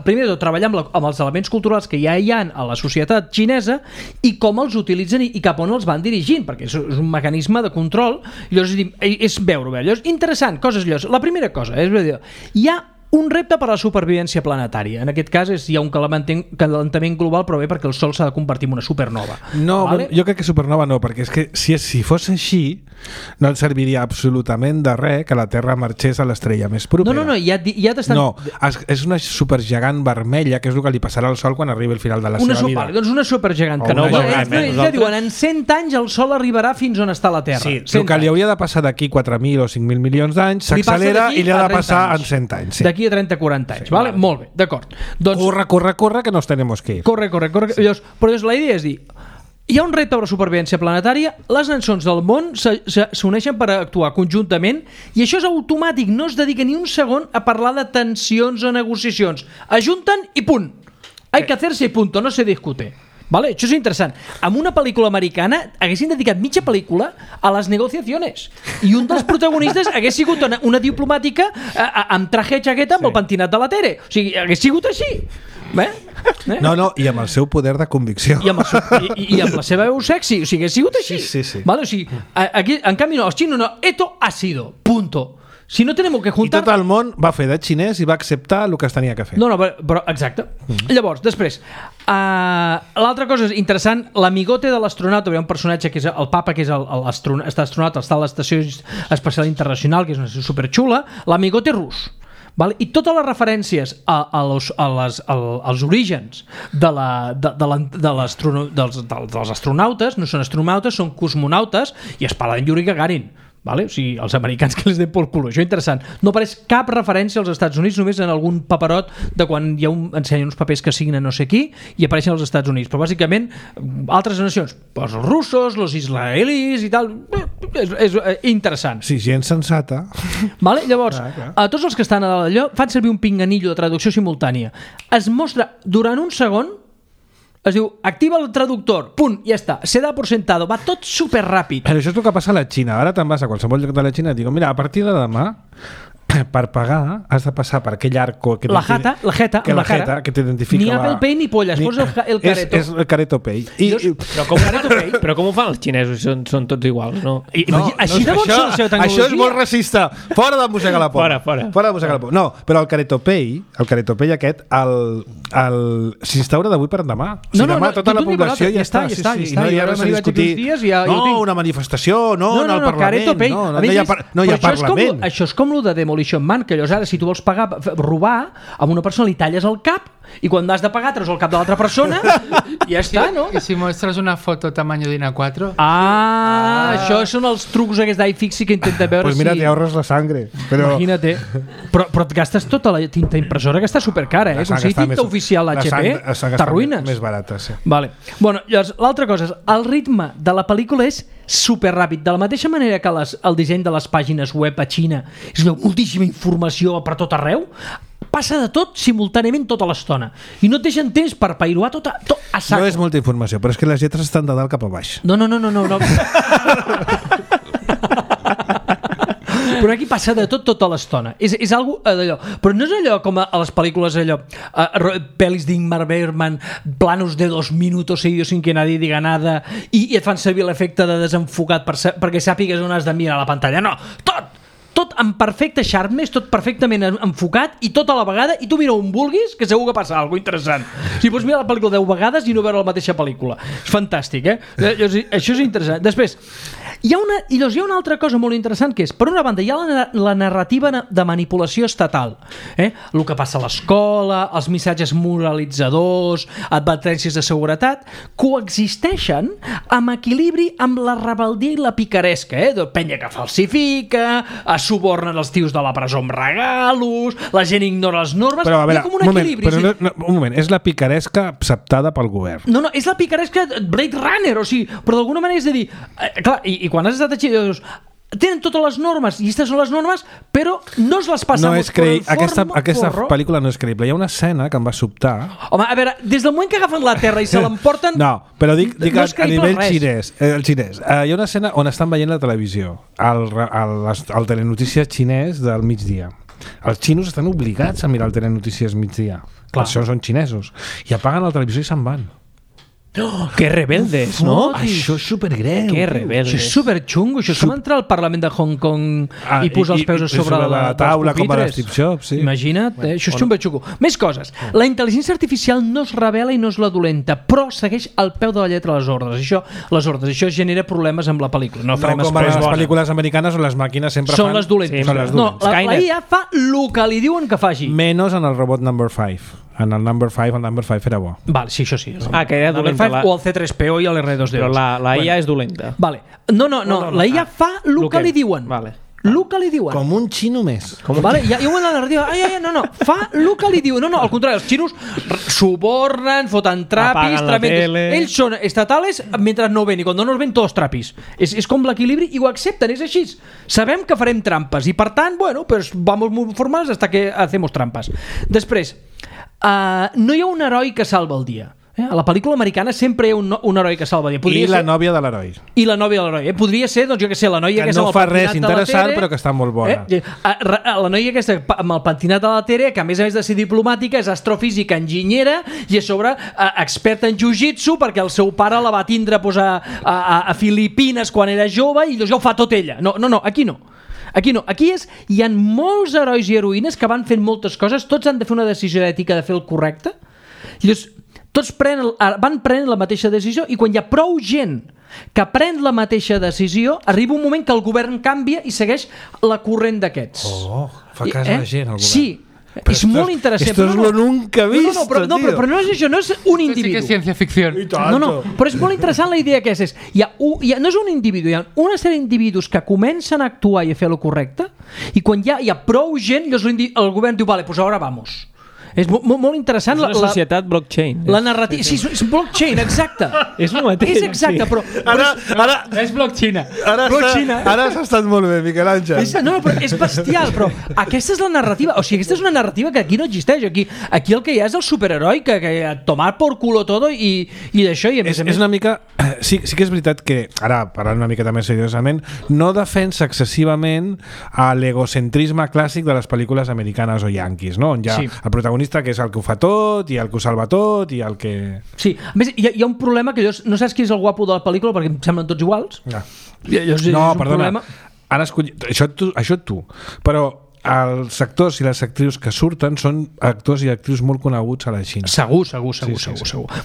primer de tot treballar amb els elements culturals que ja hi ha a la societat xinesa i com els utilitzen i cap on els van dirigint, perquè és un mecanisme de control. Llavors és veure-ho. Llavors, interessant, coses llavors. La primera cosa és dir, hi ha un repte per a la supervivència planetària. En aquest cas hi ha un calentament global, però bé perquè el Sol s'ha de convertir en una supernova. No, vale? Jo crec que supernova no, perquè és que si fos així no ens serviria absolutament de res que la Terra marxés a l'estrella més propera. No, ja t'estan... No, és una supergegant vermella, que és el que li passarà al Sol quan arribi al final de la seva vida. Doncs una supergegant. Que ja diuen, en 100 anys el Sol arribarà fins on està la Terra. Sí, el que li hauria de passar d'aquí 4.000 o 5.000 milions d'anys s'accelera i li ha de passar en 100 anys. D'aquí a 30-40 anys, vale? Molt bé, d'acord. Doncs, corre, que nos tenemos que ir. Corre. Però la idea és dir, hi ha un repte per la supervivència planetària, les nacions del món s'uneixen per actuar conjuntament i això és automàtic, no es dedica ni un segon a parlar de tensions o negociacions. Ajunten i punt. Hay que hacerse i punto, no se discute. Vale? Això és interessant. Amb una pel·lícula americana haguessin dedicat mitja pel·lícula a les negociacions i un dels protagonistes hagués sigut una diplomàtica amb traje i jaqueta amb el pentinat de la Tere. O sigui, hagués sigut així. No, i amb el seu poder de convicció. I amb la seva veu sexy. O sigui, hagués sigut així. Sí. Vale? O sigui, aquí, en canvi no, els xinos no. Esto ha sido. Punto. Si no tenemos que juntar... I tot el món va fer de xinès i va acceptar el que es tenia que fer. No, però exacte. Llavors, després, l'altra cosa és interessant, l'amigote de l'astronauta, hi ha un personatge que és el papa, que és l'astronauta, està a l'Estació Espacial Internacional, que és una superxula, l'amigote rus. Vale? I totes les referències als orígens dels astronautes no són astronautes, són cosmonautes i es parla d'en Yuri Gagarin. Vale? O sigui, els americans que els den pel culo. Això és interessant. No apareix cap referència als Estats Units, només en algun paperot de quan ensenyen uns papers que signen no sé qui i apareixen als Estats Units. Però bàsicament, altres nacions, els russos, els israelis i tal, és interessant. Sí, gent sensata. Vale? Llavors, a tots els que estan a allò fan servir un pinganillo de traducció simultània. Es mostra durant un segon, es diu, activa el traductor, punt, ja està, se da por sentado, va tot superràpid. Però això és el que passa a la Xina. Ara te'n vas a qualsevol lloc de la Xina i et diuen, mira, a partir de demà per pagar has de passar per aquell arco que la jeta que t'identifica. Ni Apple Pay ni polles, posa el careto. És el careto Pay. Però com ho fan els xinesos? Són tots iguals, no? Així de bon són la seva tecnologia. Això és molt racista. Fora de mossegar la por. Fora de mossegar la por. No, però el careto Pay aquest s'instaura d'avui per demà. Demà tota la població ja està. No hi ha res a discutir. Una manifestació, no en el Parlament. No hi ha Parlament. Això és com el de Demolition Man, que llavors ara si tu vols robar, amb una persona li talles el cap i quan has de pagar treus el cap de l'altra persona i ja està, no? I si mostres una foto tamaño de A4... Això són els trucs aquests d'iFixi que intenta veure pues mira, te ahorras la sangre. Però... Imagina't. Però et gastes tota la tinta impressora, que està supercara, eh? Com si tinta oficial HP, t'arruïnes. Més barata, sí. Vale. Bueno, llavors, l'altra cosa és, el ritme de la pel·lícula és superràpid. De la mateixa manera que el disseny de les pàgines web a Xina és moltíssima informació per tot arreu, passa de tot simultàniament tota l'estona. I no et deixen temps per pairuar tot a saco. No és molta informació, però és que les lletres estan de dalt cap a baix. No. Però aquí passa de tot tota l'estona. És algo d'allò. Però no és allò com a les pel·lícules, allò, pel·lis d'Ingmar Bergman, planos de 2 minutos seguidos sin que nadie diga nada, i et fan servir l'efecte de desenfocat perquè sàpigues on has de mirar la pantalla. No, tot en perfecte sharpness, tot perfectament enfocat i tot a la vegada, i tu mira on vulguis que segur que passa alguna cosa interessant. Si pots mirar la pel·lícula 10 vegades i no veure la mateixa pel·lícula. És fantàstic, Això és interessant. Després, hi ha una altra cosa molt interessant, que és, per una banda, hi ha la narrativa de manipulació estatal. El que passa a l'escola, els missatges moralitzadors, advertències de seguretat, coexisteixen amb equilibri amb la rebeldia i la picaresca, penya que falsifica, subornen els tios de la presó amb regalos, la gent ignora les normes, però, a veure, hi ha com un equilibri. Un moment, és la picaresca acceptada pel govern. No, és la picaresca Blade Runner, o sigui, però d'alguna manera és de dir, clar, i quan has estat així, dius, tenen totes les normes, i aquestes són les normes, però no es les passamos por el forro. Aquesta pel·lícula no és creïble. Hi ha una escena que em va sobtar. Home, a veure, des del moment que agafen la Terra i se l'emporten... No, però dic no a nivell xinès. Hi ha una escena on estan veient la televisió, el telenotícies xinès del migdia. Els xinos estan obligats a mirar el telenotícies migdia. Per això són xinesos. I apaguen la televisió i se'n van. Que rebeldes, no? Això és supergreu. Que rebeldes. Això és superxungo. Això és com entrar al Parlament de Hong Kong i posar els peus sobre la taula com a l'Steve Jobs. Sí. Imagina't, això és xumbo. Més coses. La intel·ligència artificial no es revela i no és la dolenta, però segueix al peu de la lletra les ordres. Això genera problemes amb la pel·lícula. No farem com a les pel·lícules americanes on les màquines sempre són les dolentes. No, la IA fa el que li diuen que faci. Menys en el robot number 5. En el number 5 era bo. Vale, sí, això sí. Que era dolenta. O el C3PO i l'R2D2. Però la IA és dolenta. Vale. No, la IA fa el que li diuen. Vale. El que li diuen. Com un xino més. Vale, hi ha una narrativa. No. Fa el que li diuen. No, al contrari, els xinos subornen, foten trapis, ells són estatales mentre no ven, i quan no els ven tots trapis. És com l'equilibri i ho accepten, és així. Sabem que farem trampes i per tant, bueno, pues vamos muy formals hasta que hacemos trampas. Després, no hi ha un heroi que salva el dia. A la pel·lícula americana sempre hi ha un heroi que salva el dia. La nòvia de l'heroi. I la nòvia de l'heroi. Podria ser, doncs jo què sé, la noia que aquesta no fa res interessant però que està molt bona. La noia aquesta amb el pentinat de la Tere, que a més de ser diplomàtica és astrofísica, enginyera i a sobre experta en jiu-jitsu perquè el seu pare la va tindre a Filipines quan era jove i ja ho fa tot ella. No, aquí no. Aquí hi ha molts herois i heroïnes que van fent moltes coses, tots han de fer una decisió ètica de fer el correcte, i llavors tots van prenent la mateixa decisió, i quan hi ha prou gent que pren la mateixa decisió, arriba un moment que el govern canvia i segueix la corrent d'aquests. Fa cas a la gent, el govern. Sí, però és molt interessant. Esto es lo nunca visto, però no és això, no és un individu. Sí que és ciència-ficció. No, però és molt interessant la idea que és. No és un individu, hi ha una sèrie d'individus que comencen a actuar i a fer el correcte, i quan hi ha prou gent, el govern diu, vale, pues ahora vamos. És molt interessant. És una societat blockchain. La narrativa. Sí, és blockchain, exacte. És el mateix. És exacte, però... Ara és blockchain. Ara has estat molt bé, Miquel Àngel. No, però és bestial, però aquesta és la narrativa. O sigui, aquesta és una narrativa que aquí no existeix. Aquí el que hi ha és el superheroi que tomar por culo todo i d'això. És una mica... Sí que és veritat que, ara parlant una miqueta més seriosament, no defensa excessivament l'egocentrisme clàssic de les pel·lícules americanes o yanquis, no? On hi ha el protagonista que és el que ho fa tot i el que ho salva tot i el que... Sí, a més hi ha un problema que no saps qui és el guapo de la pel·lícula perquè em semblen tots iguals. No, perdona, ara això tu, però els actors i les actrius que surten són actors i actrius molt coneguts a la Xina. Segur.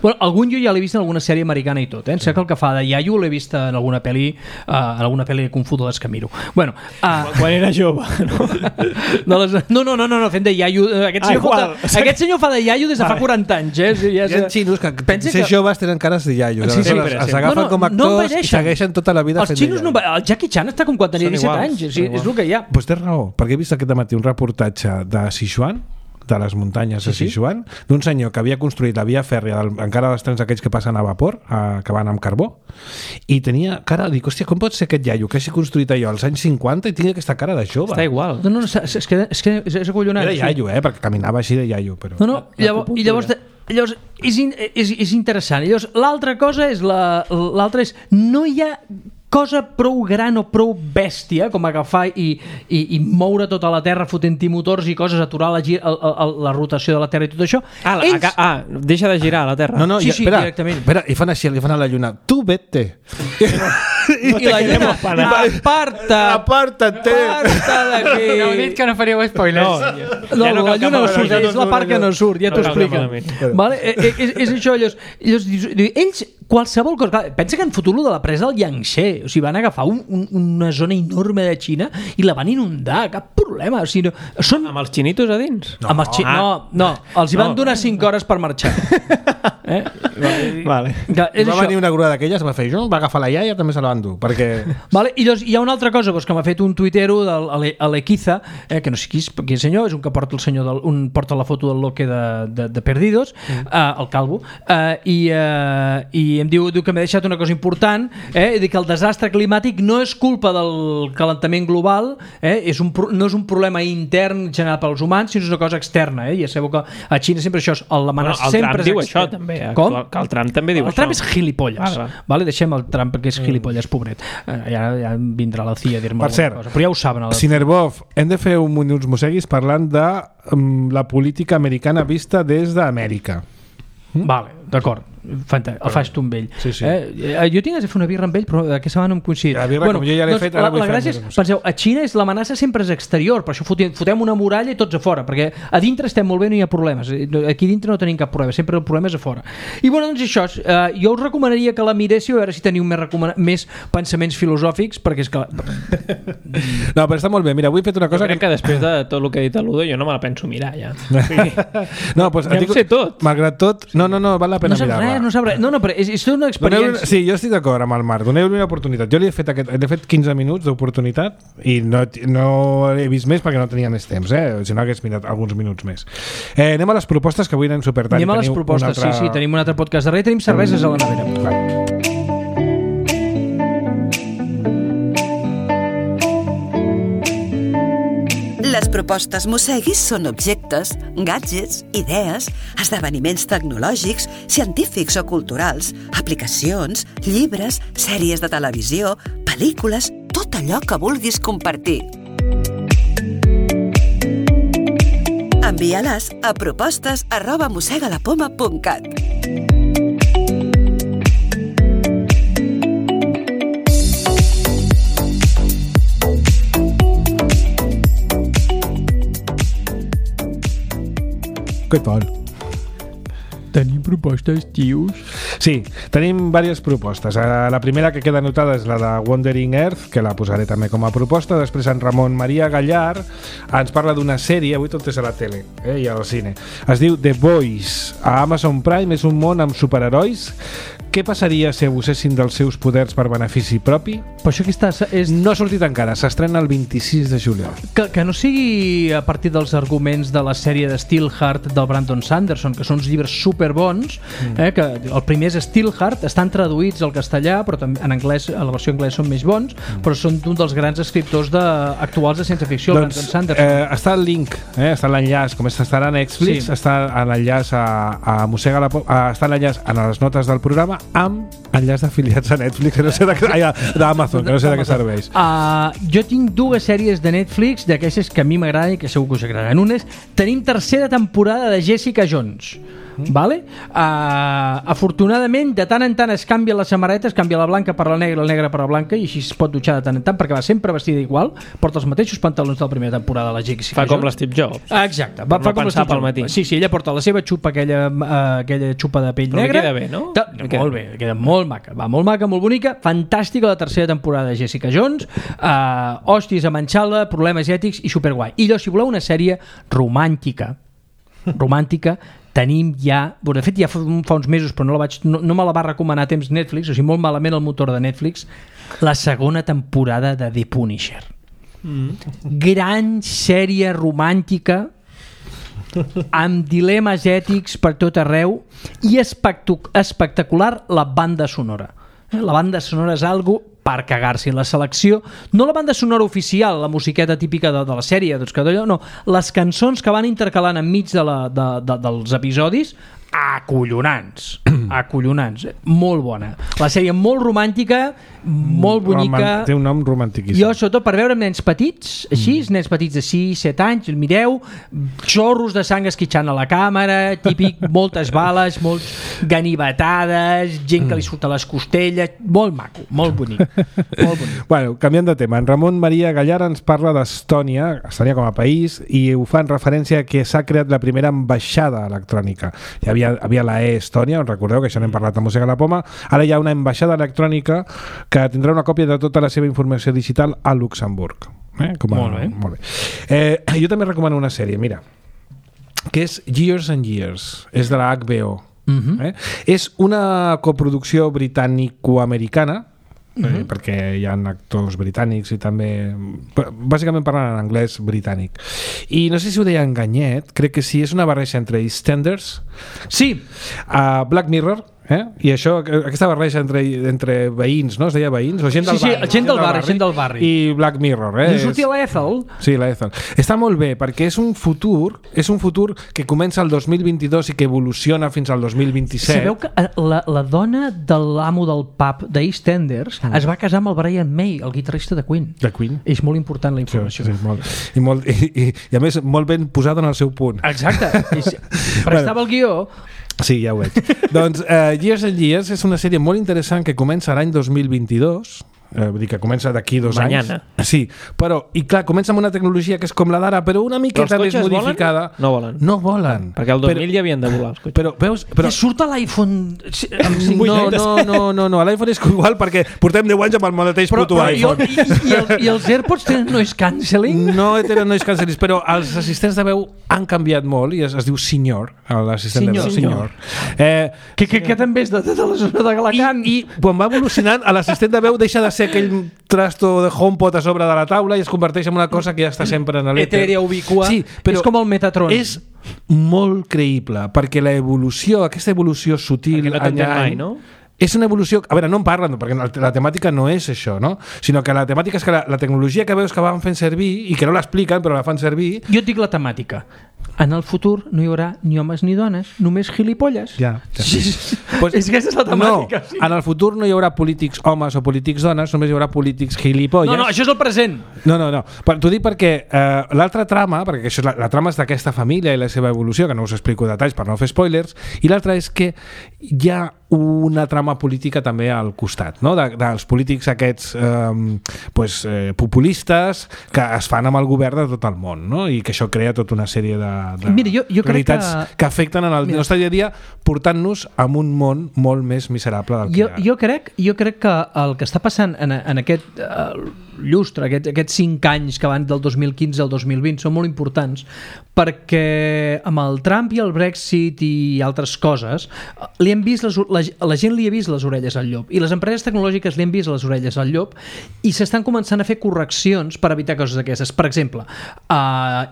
Bueno, algun jo ja l'he vist en alguna sèrie americana i tot, eh? Em sembla que el que fa de iaio l'he vist en alguna pel·li de Kung Fu de les que miro. Bueno, quan era jove, no, fent de iaio. Aquest senyor fa de iaio des de fa 40 anys, eh? Hi ha xinos que ser joves tenen cares de iaio. Els agafen com a actors i segueixen tota la vida fent de iaio. El Jackie Chan està com quan tenia 17 anys, és el que hi ha. Doncs té raó, perquè he vist aquest matí un reportatge de Sichuan, de les muntanyes de Sichuan, d'un senyor que havia construït la via fèrria, encara dels trens aquells que passen a vapor, que van amb carbó, i tenia cara, dic, hòstia, com pot ser aquest iaio que hagi construït allò als anys 50 i tingui aquesta cara de jove? Està igual. No, és que és acollonant. Era iaio, perquè caminava així de iaio. Però... I llavors és interessant. Llavors, l'altra cosa és no hi ha cosa prou gran o prou bèstia com agafar i moure tota la Terra fotent-hi motors i coses, aturar la rotació de la Terra i tot això. Deixa de girar la Terra. No, directament. Espera, i fan així, li fan a la Lluna, tu vete. I la Lluna, aparta't d'aquí. Heu dit que no faríeu spoilers. No, la Lluna no surt, és la part que no surt, ja t'ho expliquen. És això, ells qualsevol cosa, pensa que han fotut de la presa del Yangtze, o sigui, van agafar una zona enorme de Xina i la van inundar, cap problema. O sigui, amb els xinitos a dins? No, els hi van donar 5 hores per marxar. Vale. Va venir una grua d'aquelles, va fer va agafar la iaia, també se la van dur, perquè... I llavors hi ha una altra cosa que m'ha fet un tuitero de l'Equiza, que no sé qui és senyor, és un que porta porta la foto del loque de Perdidos, el calvo, i em diu que m'ha deixat una cosa important, que el desastre climàtic no és culpa del calentament global, no és un problema intern generat pels humans, sinó és una cosa externa, i ja sabeu que a Xina sempre això és l'amenaça sempre és externa. També, com? Que el Trump també diu això. El Trump és gilipolles. Deixem el Trump, que és gilipolles, pobret. Ja vindrà la CIA a dir-me alguna cosa. Però ja ho saben. Sinerbov, hem de fer uns mosseguis parlant de la política americana vista des d'Amèrica. Vale, d'acord. El faig tu amb ell. Jo tinc de fer una birra amb ell, però aquesta setmana no em coincid. La birra, com jo ja l'he fet, ara vull fer. La gràcia és, penseu, a Xina l'amenaça sempre és exterior, per això fotem una muralla i tots a fora, perquè a dintre estem molt bé, no hi ha problemes. Aquí dintre no tenim cap problema, sempre el problema és a fora. I bueno, doncs això, jo us recomanaria que la miréssiu, a veure si teniu més pensaments filosòfics, perquè és que... No, però està molt bé. Mira, avui he fet una cosa... Jo crec que després de tot el que ha dit el Ludo, jo no me la penso mirar, ja. No, doncs... Ja ho sé tot. Malgrat tot, no, val la pena mirar-la. No sap res, però és tota una experiència. Sí, jo estic d'acord amb el Marc, doneu-li una oportunitat. Jo li he fet 15 minuts d'oportunitat i no he vist més perquè no tenia més temps, si no hagués mirat alguns minuts més. Anem a les propostes, que avui anem supertant. Anem a les propostes, sí, tenim un altre podcast darrere, tenim cerveses a la nevera. Les propostes Mosseguis són objectes, gadgets, idees, esdeveniments tecnològics, científics o culturals, aplicacions, llibres, sèries de televisió, pel·lícules, tot allò que vulguis compartir. Envia-les a propostes@mossegalapoma.cat. Què tal? Tenim propostes, tios? Sí, tenim diverses propostes. La primera que queda anotada és la de Wandering Earth, que la posaré també com a proposta. Després en Ramon Maria Gallar ens parla d'una sèrie, avui tot és a la tele i al cine. Es diu The Boys. A Amazon Prime és un món amb superherois. Què passaria si abusessin dels seus poders per benefici propi? Però això que no ha sortit encara, s'estrena el 26 de juliol. Que no sigui a partir dels arguments de la sèrie de Steelheart del Brandon Sanderson, que són uns llibres superbons, que el primer és Steelheart, estan traduïts al castellà, però també en anglès, a la versió anglesa són més bons, però són un dels grans escriptors actuals de ciència ficció, el Brandon Sanderson. Està el link, està l'enllaç, com estarà a Netflix, està l'enllaç a Mossega la Poma, està l'enllaç a les notes del programa, amb enllaç d'afiliats a Netflix, d'Amazon, que no sé de què serveix. Jo tinc 2 sèries de Netflix d'aquestes que a mi m'agraden i que segur que us agraden. Una és, tenim tercera temporada de Jessica Jones. Vale? Afortunadament, de tant en tant es canvia les samarretes, canvia la blanca per la negra per la blanca, i així es pot dutxar de tant en tant, perquè va sempre vestida igual, porta els mateixos pantalons de la primera temporada de la Jessica Fa com Jones. l'Steve Jobs. Exacte, fa com pensar pel matí. Sí, ella porta la seva xupa, aquella xupa de pell Però negra. queda bé, no? Molt bé, queda molt maca. Va, molt maca, molt bonica. Fantàstica la tercera temporada de Jessica Jones. Hòsties a manxar-la, problemes ètics i superguai. I llavors, si voleu una sèrie romàntica, tenim ja... Bueno, de fet, ja fa uns mesos, però no me la va recomanar a temps Netflix, o sigui, molt malament el motor de Netflix, la segona temporada de The Punisher. Gran sèrie romàntica amb dilemes ètics per tot arreu i espectacular la banda sonora. La banda sonora és algo per cagar-s'hi. La selecció, no la banda sonora oficial, la musiqueta típica de la sèrie, doncs que d'allò, no, les cançons que van intercalant enmig dels episodis, acollonants, molt bona. La sèrie molt romàntica, molt bonica. Té un nom romantiquíssim. Jo, sobretot, per veure nens petits, així, nens petits de 6, 7 anys, el mireu, xorros de sang esquitxant a la càmera, típic, moltes bales, molts ganivetades, gent que li surt a les costelles, molt maco, molt bonic. Molt bonic. Bueno, canviant de tema, en Ramon Maria Gallar ens parla d'Estònia, Estònia com a país, i ho fa en referència a que s'ha creat la primera ambaixada electrònica. Hi havia la Estònia, us recordeu que això n'hem parlat a Música a la Poma, ara hi ha una ambaixada electrònica que tindrà una còpia de tota la seva informació digital a Luxemburg. Molt bé. Jo també recomano una sèrie, mira, que és Years and Years, és de la HBO. És una coproducció britànico-americana, perquè hi ha actors britànics i també bàsicament parlen en anglès britànic, i no sé si ho deia Enganyet, crec que sí, és una barreja entre EastEnders, sí, Black Mirror, i això, aquesta barreja entre veïns, no? Es deia veïns? O gent del barri, gent del barri. I Black Mirror. I sortia l'Ethel. Sí, l'Ethel. Està molt bé, perquè és un futur que comença el 2022 i que evoluciona fins al 2027. Sabeu que la dona de l'amo del pub d'EastEnders es va casar amb el Brian May, el guitarrista de Queen. De Queen. És molt important la informació. Sí, molt. I a més, molt ben posada en el seu punt. Exacte. Prestava el guió. Sí, ja ho veig. Doncs Years and Years és una sèrie molt interessant que comença l'any 2022, vull dir que comença d'aquí 2 anys. Sí, però, i clar, comença amb una tecnologia que és com la d'ara, però una miqueta més modificada. No volen. No volen. Perquè el 2000 ja havien de volar els cotxes. Però, veus? Però... Surt a l'iPhone amb 5 No, l'iPhone és igual perquè portem 10 anys amb el mateix puto iPhone. I els AirPods tenen noise cancelling? No tenen noise cancelling, però els assistents de veu han canviat molt i es diu Senyor, l'assistent de veu. Senyor. Que també és de tota la zona de Galacant. I quan va evolucionant, l'assistent de veu deixa de ser aquell trasto de HomePod a sobre de la taula i es converteix en una cosa que ja està sempre en l'èter. Etèria, ubicua. Sí, però és com el Metatron. És molt creïble, perquè aquesta evolució sutil... Perquè no t'entén mai, no? És una evolució... A veure, no en parlen, perquè la temàtica no és això, no? Sinó que la temàtica és que la tecnologia que veus que van fent servir i que no l'expliquen, però la fan servir... Jo et dic la temàtica. En el futur no hi haurà ni homes ni dones, només gilipolles. Ja. Sí. Pues, és que aquesta és la temàtica. No, en el futur no hi haurà polítics homes o polítics dones, només hi haurà polítics gilipolles. No, això és el present. No. T'ho dic perquè l'altra trama, perquè això, la trama és d'aquesta família i la seva evolució, que no us explico detalls per no fer spoilers, i l'altra és que hi ha una trama política també al costat, no? Dels polítics aquests populistes que es fan amb el govern de tot el món, no? I que això crea tota una sèrie de Mira, jo realitats que afecten en el nostre dia a dia, portant-nos a un món molt més miserable del que hi ha. Jo crec que el que està passant en aquest llustre, aquests 5 anys que van del 2015 al 2020 són molt importants, perquè amb el Trump i el Brexit i altres coses la gent li ha vist les orelles al llop i les empreses tecnològiques li han vist les orelles al llop i s'estan començant a fer correccions per evitar coses d'aquestes. Per exemple,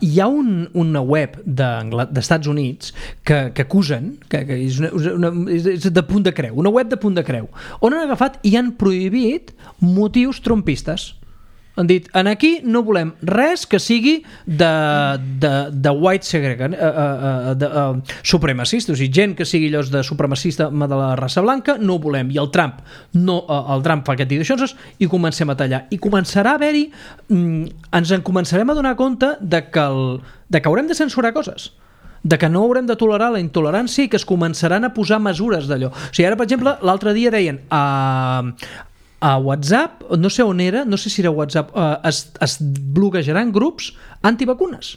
hi ha una web d'Estats Units que acusen, que és de punt de creu, una web de punt de creu, on han agafat i han prohibit motius trumpistes. Han dit, aquí no volem res que sigui de white segregant, supremacista, o sigui, gent que sigui allò de supremacista de la raça blanca, no ho volem. I el Trump fa aquest tipus de coses i comencem a tallar. I començarà a haver-hi, ens en començarem a donar compte de que haurem de censurar coses. de que no haurem de tolerar la intolerància i que es començaran a posar mesures d'allò. O sigui, ara, per exemple, l'altre dia deien a WhatsApp, no sé on era, no sé si era WhatsApp, es bloquejaran grups antivacunes.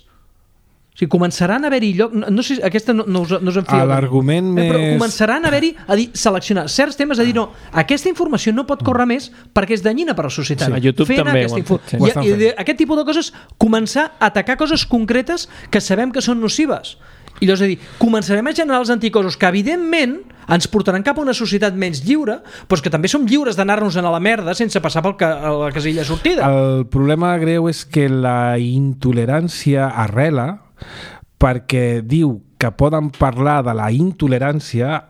O sigui, començaran a haver-hi lloc... No sé, aquesta no us en fieu. L'argument més... Però començaran a haver-hi, a dir, seleccionar certs temes, a dir, no, aquesta informació no pot córrer més perquè és danyina per a la societat. Sí, a YouTube també I aquest tipus de coses, començar a atacar coses concretes que sabem que són nocives. I llavors, és a dir, començarem a generar els anticossos que, evidentment, ens portaran cap a una societat menys lliure, però que també som lliures d'anar-nos a la merda sense passar per la casella sortida. El problema greu és que la intolerància arrela perquè diu que poden parlar de la intolerància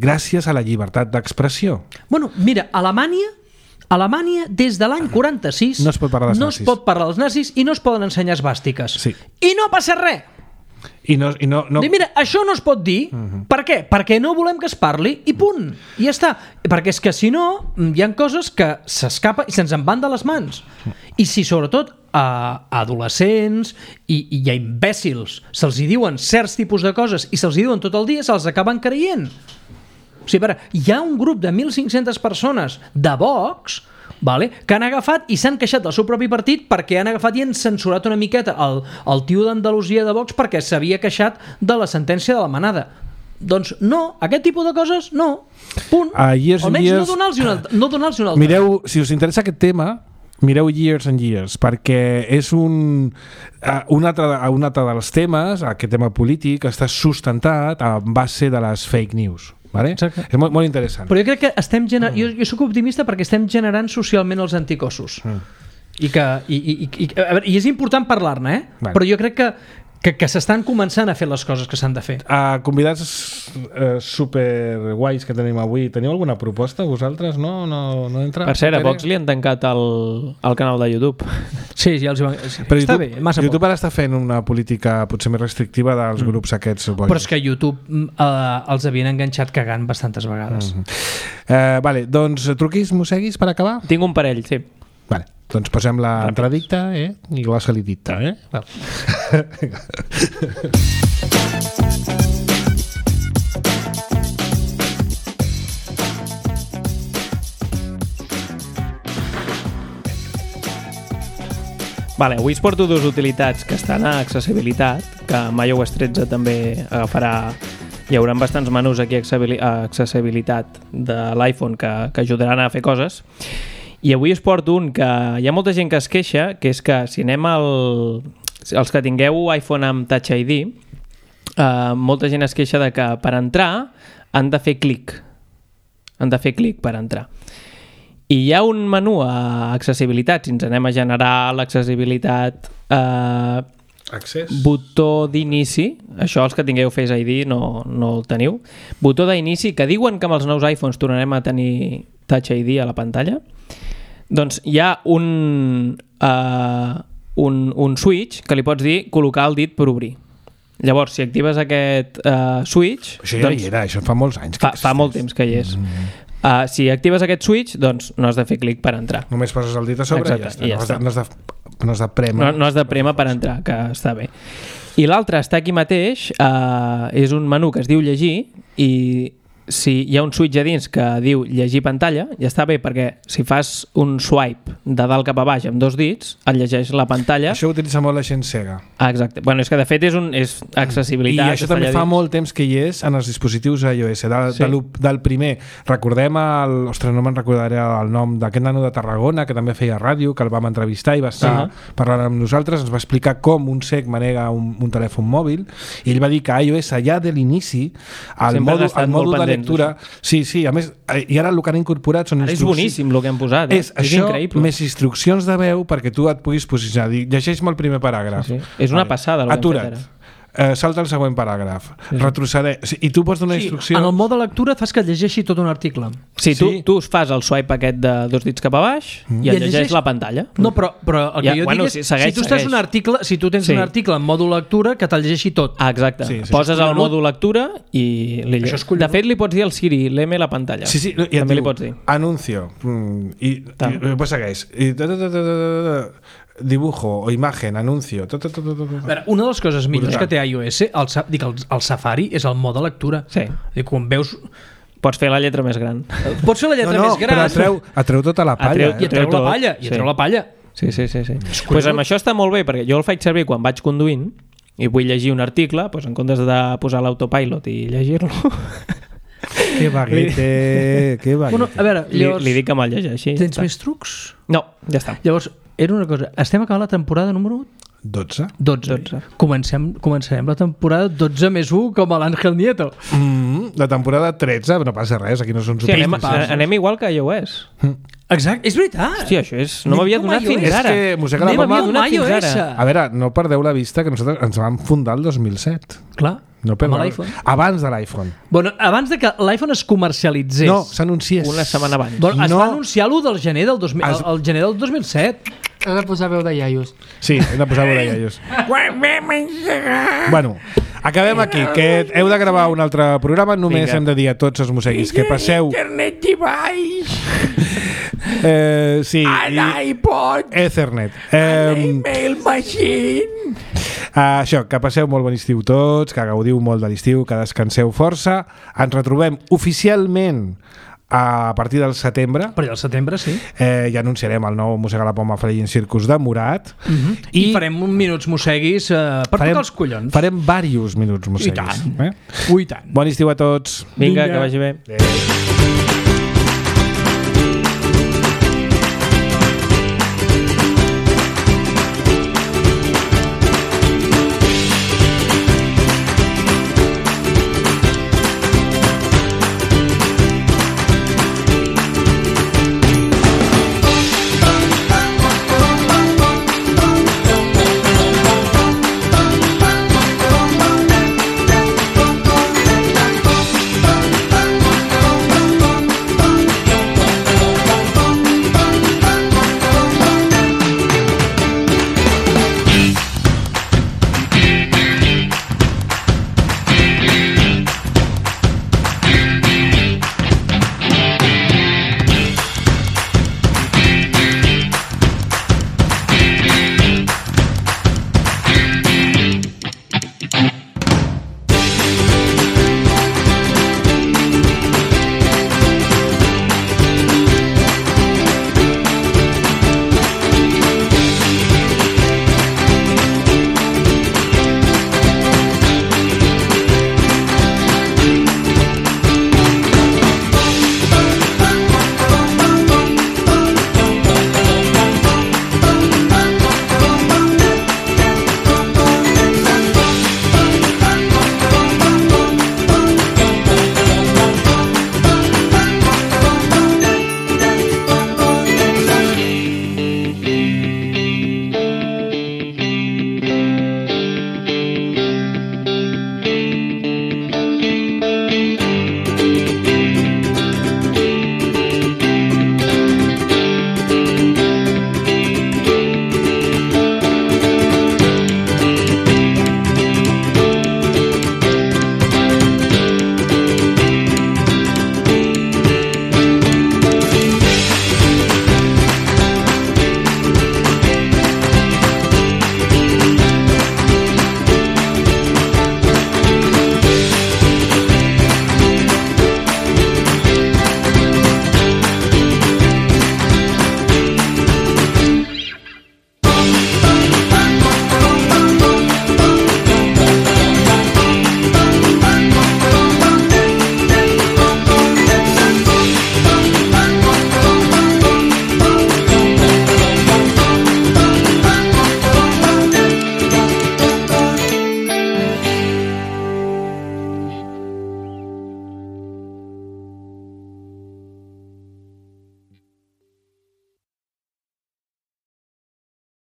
gràcies a la llibertat d'expressió. Bueno, mira, Alemanya, des de l'any 46 no es pot parlar dels nazis i no es poden ensenyar esvàstiques. Sí. I no passa res. I no... Mira, això no es pot dir. Per què? Perquè no volem que es parli i punt. I ja està. Perquè és que si no, hi ha coses que s'escapen i se'ns en van de les mans. I si sobretot a adolescents i a imbècils se'ls hi diuen certs tipus de coses i se'ls hi diuen tot el dia, se'ls acaben creient. O sigui, hi ha un grup de 1.500 persones de Vox, que han agafat i s'han queixat del seu propi partit perquè han agafat i han censurat una miqueta el tio d'Andalusia de Vox perquè s'havia queixat de la sentència de la manada. Doncs no, aquest tipus de coses no. Punt. Almenys no donar-los un altre. Mireu, si us interessa aquest tema, mireu Years and Years, perquè és un altre dels temes, aquest tema polític, està sustentat a base de les fake news. Vale? És molt, molt interessant. Però jo crec que estem jo soc optimista perquè estem generant socialment els anticossos. I és important parlar-ne, Vale. Però jo crec que s'estan començant a fer les coses que s'han de fer. Convidats super guais que tenim avui, teniu alguna proposta vosaltres? No entra? Per cert, a Vox li han tancat el canal de YouTube. Sí, ja els van... Però està bé, massa YouTube ara està fent una política potser més restrictiva dels grups aquests bojos. Però és que YouTube els havien enganxat cagant bastantes vegades. Vale, doncs truquis, mosseguis per acabar? Tinc un parell, sí. Vale, doncs posem l'entradicta i la salidicta. Vale, avui us porto dues utilitats que estan a accessibilitat, que amb iOS 13 també agafarà. Hi haurà bastants menús aquí a accessibilitat de l'iPhone que ajudaran a fer coses. I avui us porto un que hi ha molta gent que es queixa, que és que si anem els que tingueu iPhone amb Touch ID, molta gent es queixa de que per entrar han de fer clic. Han de fer clic per entrar. I hi ha un menú a accessibilitat, si ens anem a generar l'accessibilitat botó d'inici, això els que tingueu Face ID no el teniu, botó d'inici, que diuen que amb els nous iPhones tornarem a tenir Touch ID a la pantalla. Doncs hi ha un switch que li pots dir col·locar el dit per obrir. Llavors, si actives aquest switch... Això ja hi era, això fa molts anys. Fa molt temps que hi és. Si actives aquest switch, doncs no has de fer clic per entrar. Només poses el dit a sobre. Exacte, i ja està. No has de prémer. No has de prémer per entrar, que està bé. I l'altre està aquí mateix, és un menú que es diu llegir, i si hi ha un switch a dins que diu llegir pantalla, ja està bé, perquè si fas un swipe de dalt cap a baix amb dos dits, et llegeix la pantalla. Això ho utilitza molt la gent cega. Exacte. Bueno, és que de fet és accessibilitat. I això també fa molt temps que hi és en els dispositius iOS. Del primer, recordem ostres, no me'n recordaré el nom d'aquest nano de Tarragona, que també feia ràdio, que el vam entrevistar i va estar parlant amb nosaltres, ens va explicar com un cec manega un telèfon mòbil, i ell va dir que iOS ja de l'inici, el mòdul de lectura, sí, a més, i ara el que han incorporat són instruccions. És boníssim el que han posat, és això increïble. Més instruccions de veu perquè tu et puguis posicionar. Llegeix-me el primer paràgraf. Sí. És una passada el que han fet ara. Salta el següent paràgraf, retrocedeix, i tu pots donar instrucció. En el mode lectura fas que et llegeixi tot un article. Sí, tu fas el swipe aquest de dos dits cap a baix i et llegeix la pantalla. No, però el que jo dic és, si tu estàs un article, si tu tens un article en mòdul lectura, que te'l llegeixi tot. Exacte, poses el mòdul lectura i de fet li pots dir al Siri, leme la pantalla. Sí, també li pots dir. Anuncio, i després segueix. dibujo o imagen, anuncio, tot. A veure, una de les coses millors que té iOS, el Safari, és el mode lectura. Sí. Quan veus... Pots fer la lletra més gran. Pots fer la lletra més gran. Però atreu tota la palla. I atreu la palla. I atreu la palla. Sí. Pues amb això està molt bé, perquè jo el faig servir quan vaig conduint i vull llegir un article, doncs en comptes de posar l'autopilot i llegir-lo... Que baguete. Bueno, a veure, llavors... Li dic que me'l llegeixi. Tens més trucs? No, ja està. Llavors, era una cosa. Estem acabant la temporada número 12. Començarem la temporada 12 més 1 com a l'Àngel Nieto. La temporada 13, no passa res, aquí no són anem igual que iOS. Exacte, és veritat. Hòstia, això és... No m'havia donat fins ara. És que mossega la poma. A veure, no perdeu la vista que nosaltres ens vam fundar el 2007. Clar. No, amb l'iPhone. Abans de l'iPhone. Bueno, abans de que l'iPhone es comercialitzés. No, s'anunciés. Una setmana abans. Bueno, es va anunciar l'1 del gener del 2007. Heu de posar veu de iaios. Sí, hem de posar veu de iaios. Bueno, acabem aquí, que heu de gravar un altre programa. Només hem de dir a tots els mosseguis que passeu... Internet i baix. Sí. A l'iPod. Ethernet. A l'email machine. Això, que passeu molt bon estiu tots, que gaudiu molt de l'estiu, que descanseu força. Ens retrobem oficialment a partir del setembre. Per al setembre, sí. Ja anunciarem el nou Mossega la Poma Flying Circus de Morat. I farem uns minuts mosseguis per tocar els collons. Farem diversos minuts mosseguis. I tant. Bon estiu a tots. Vinga, que vagi bé. Adéu.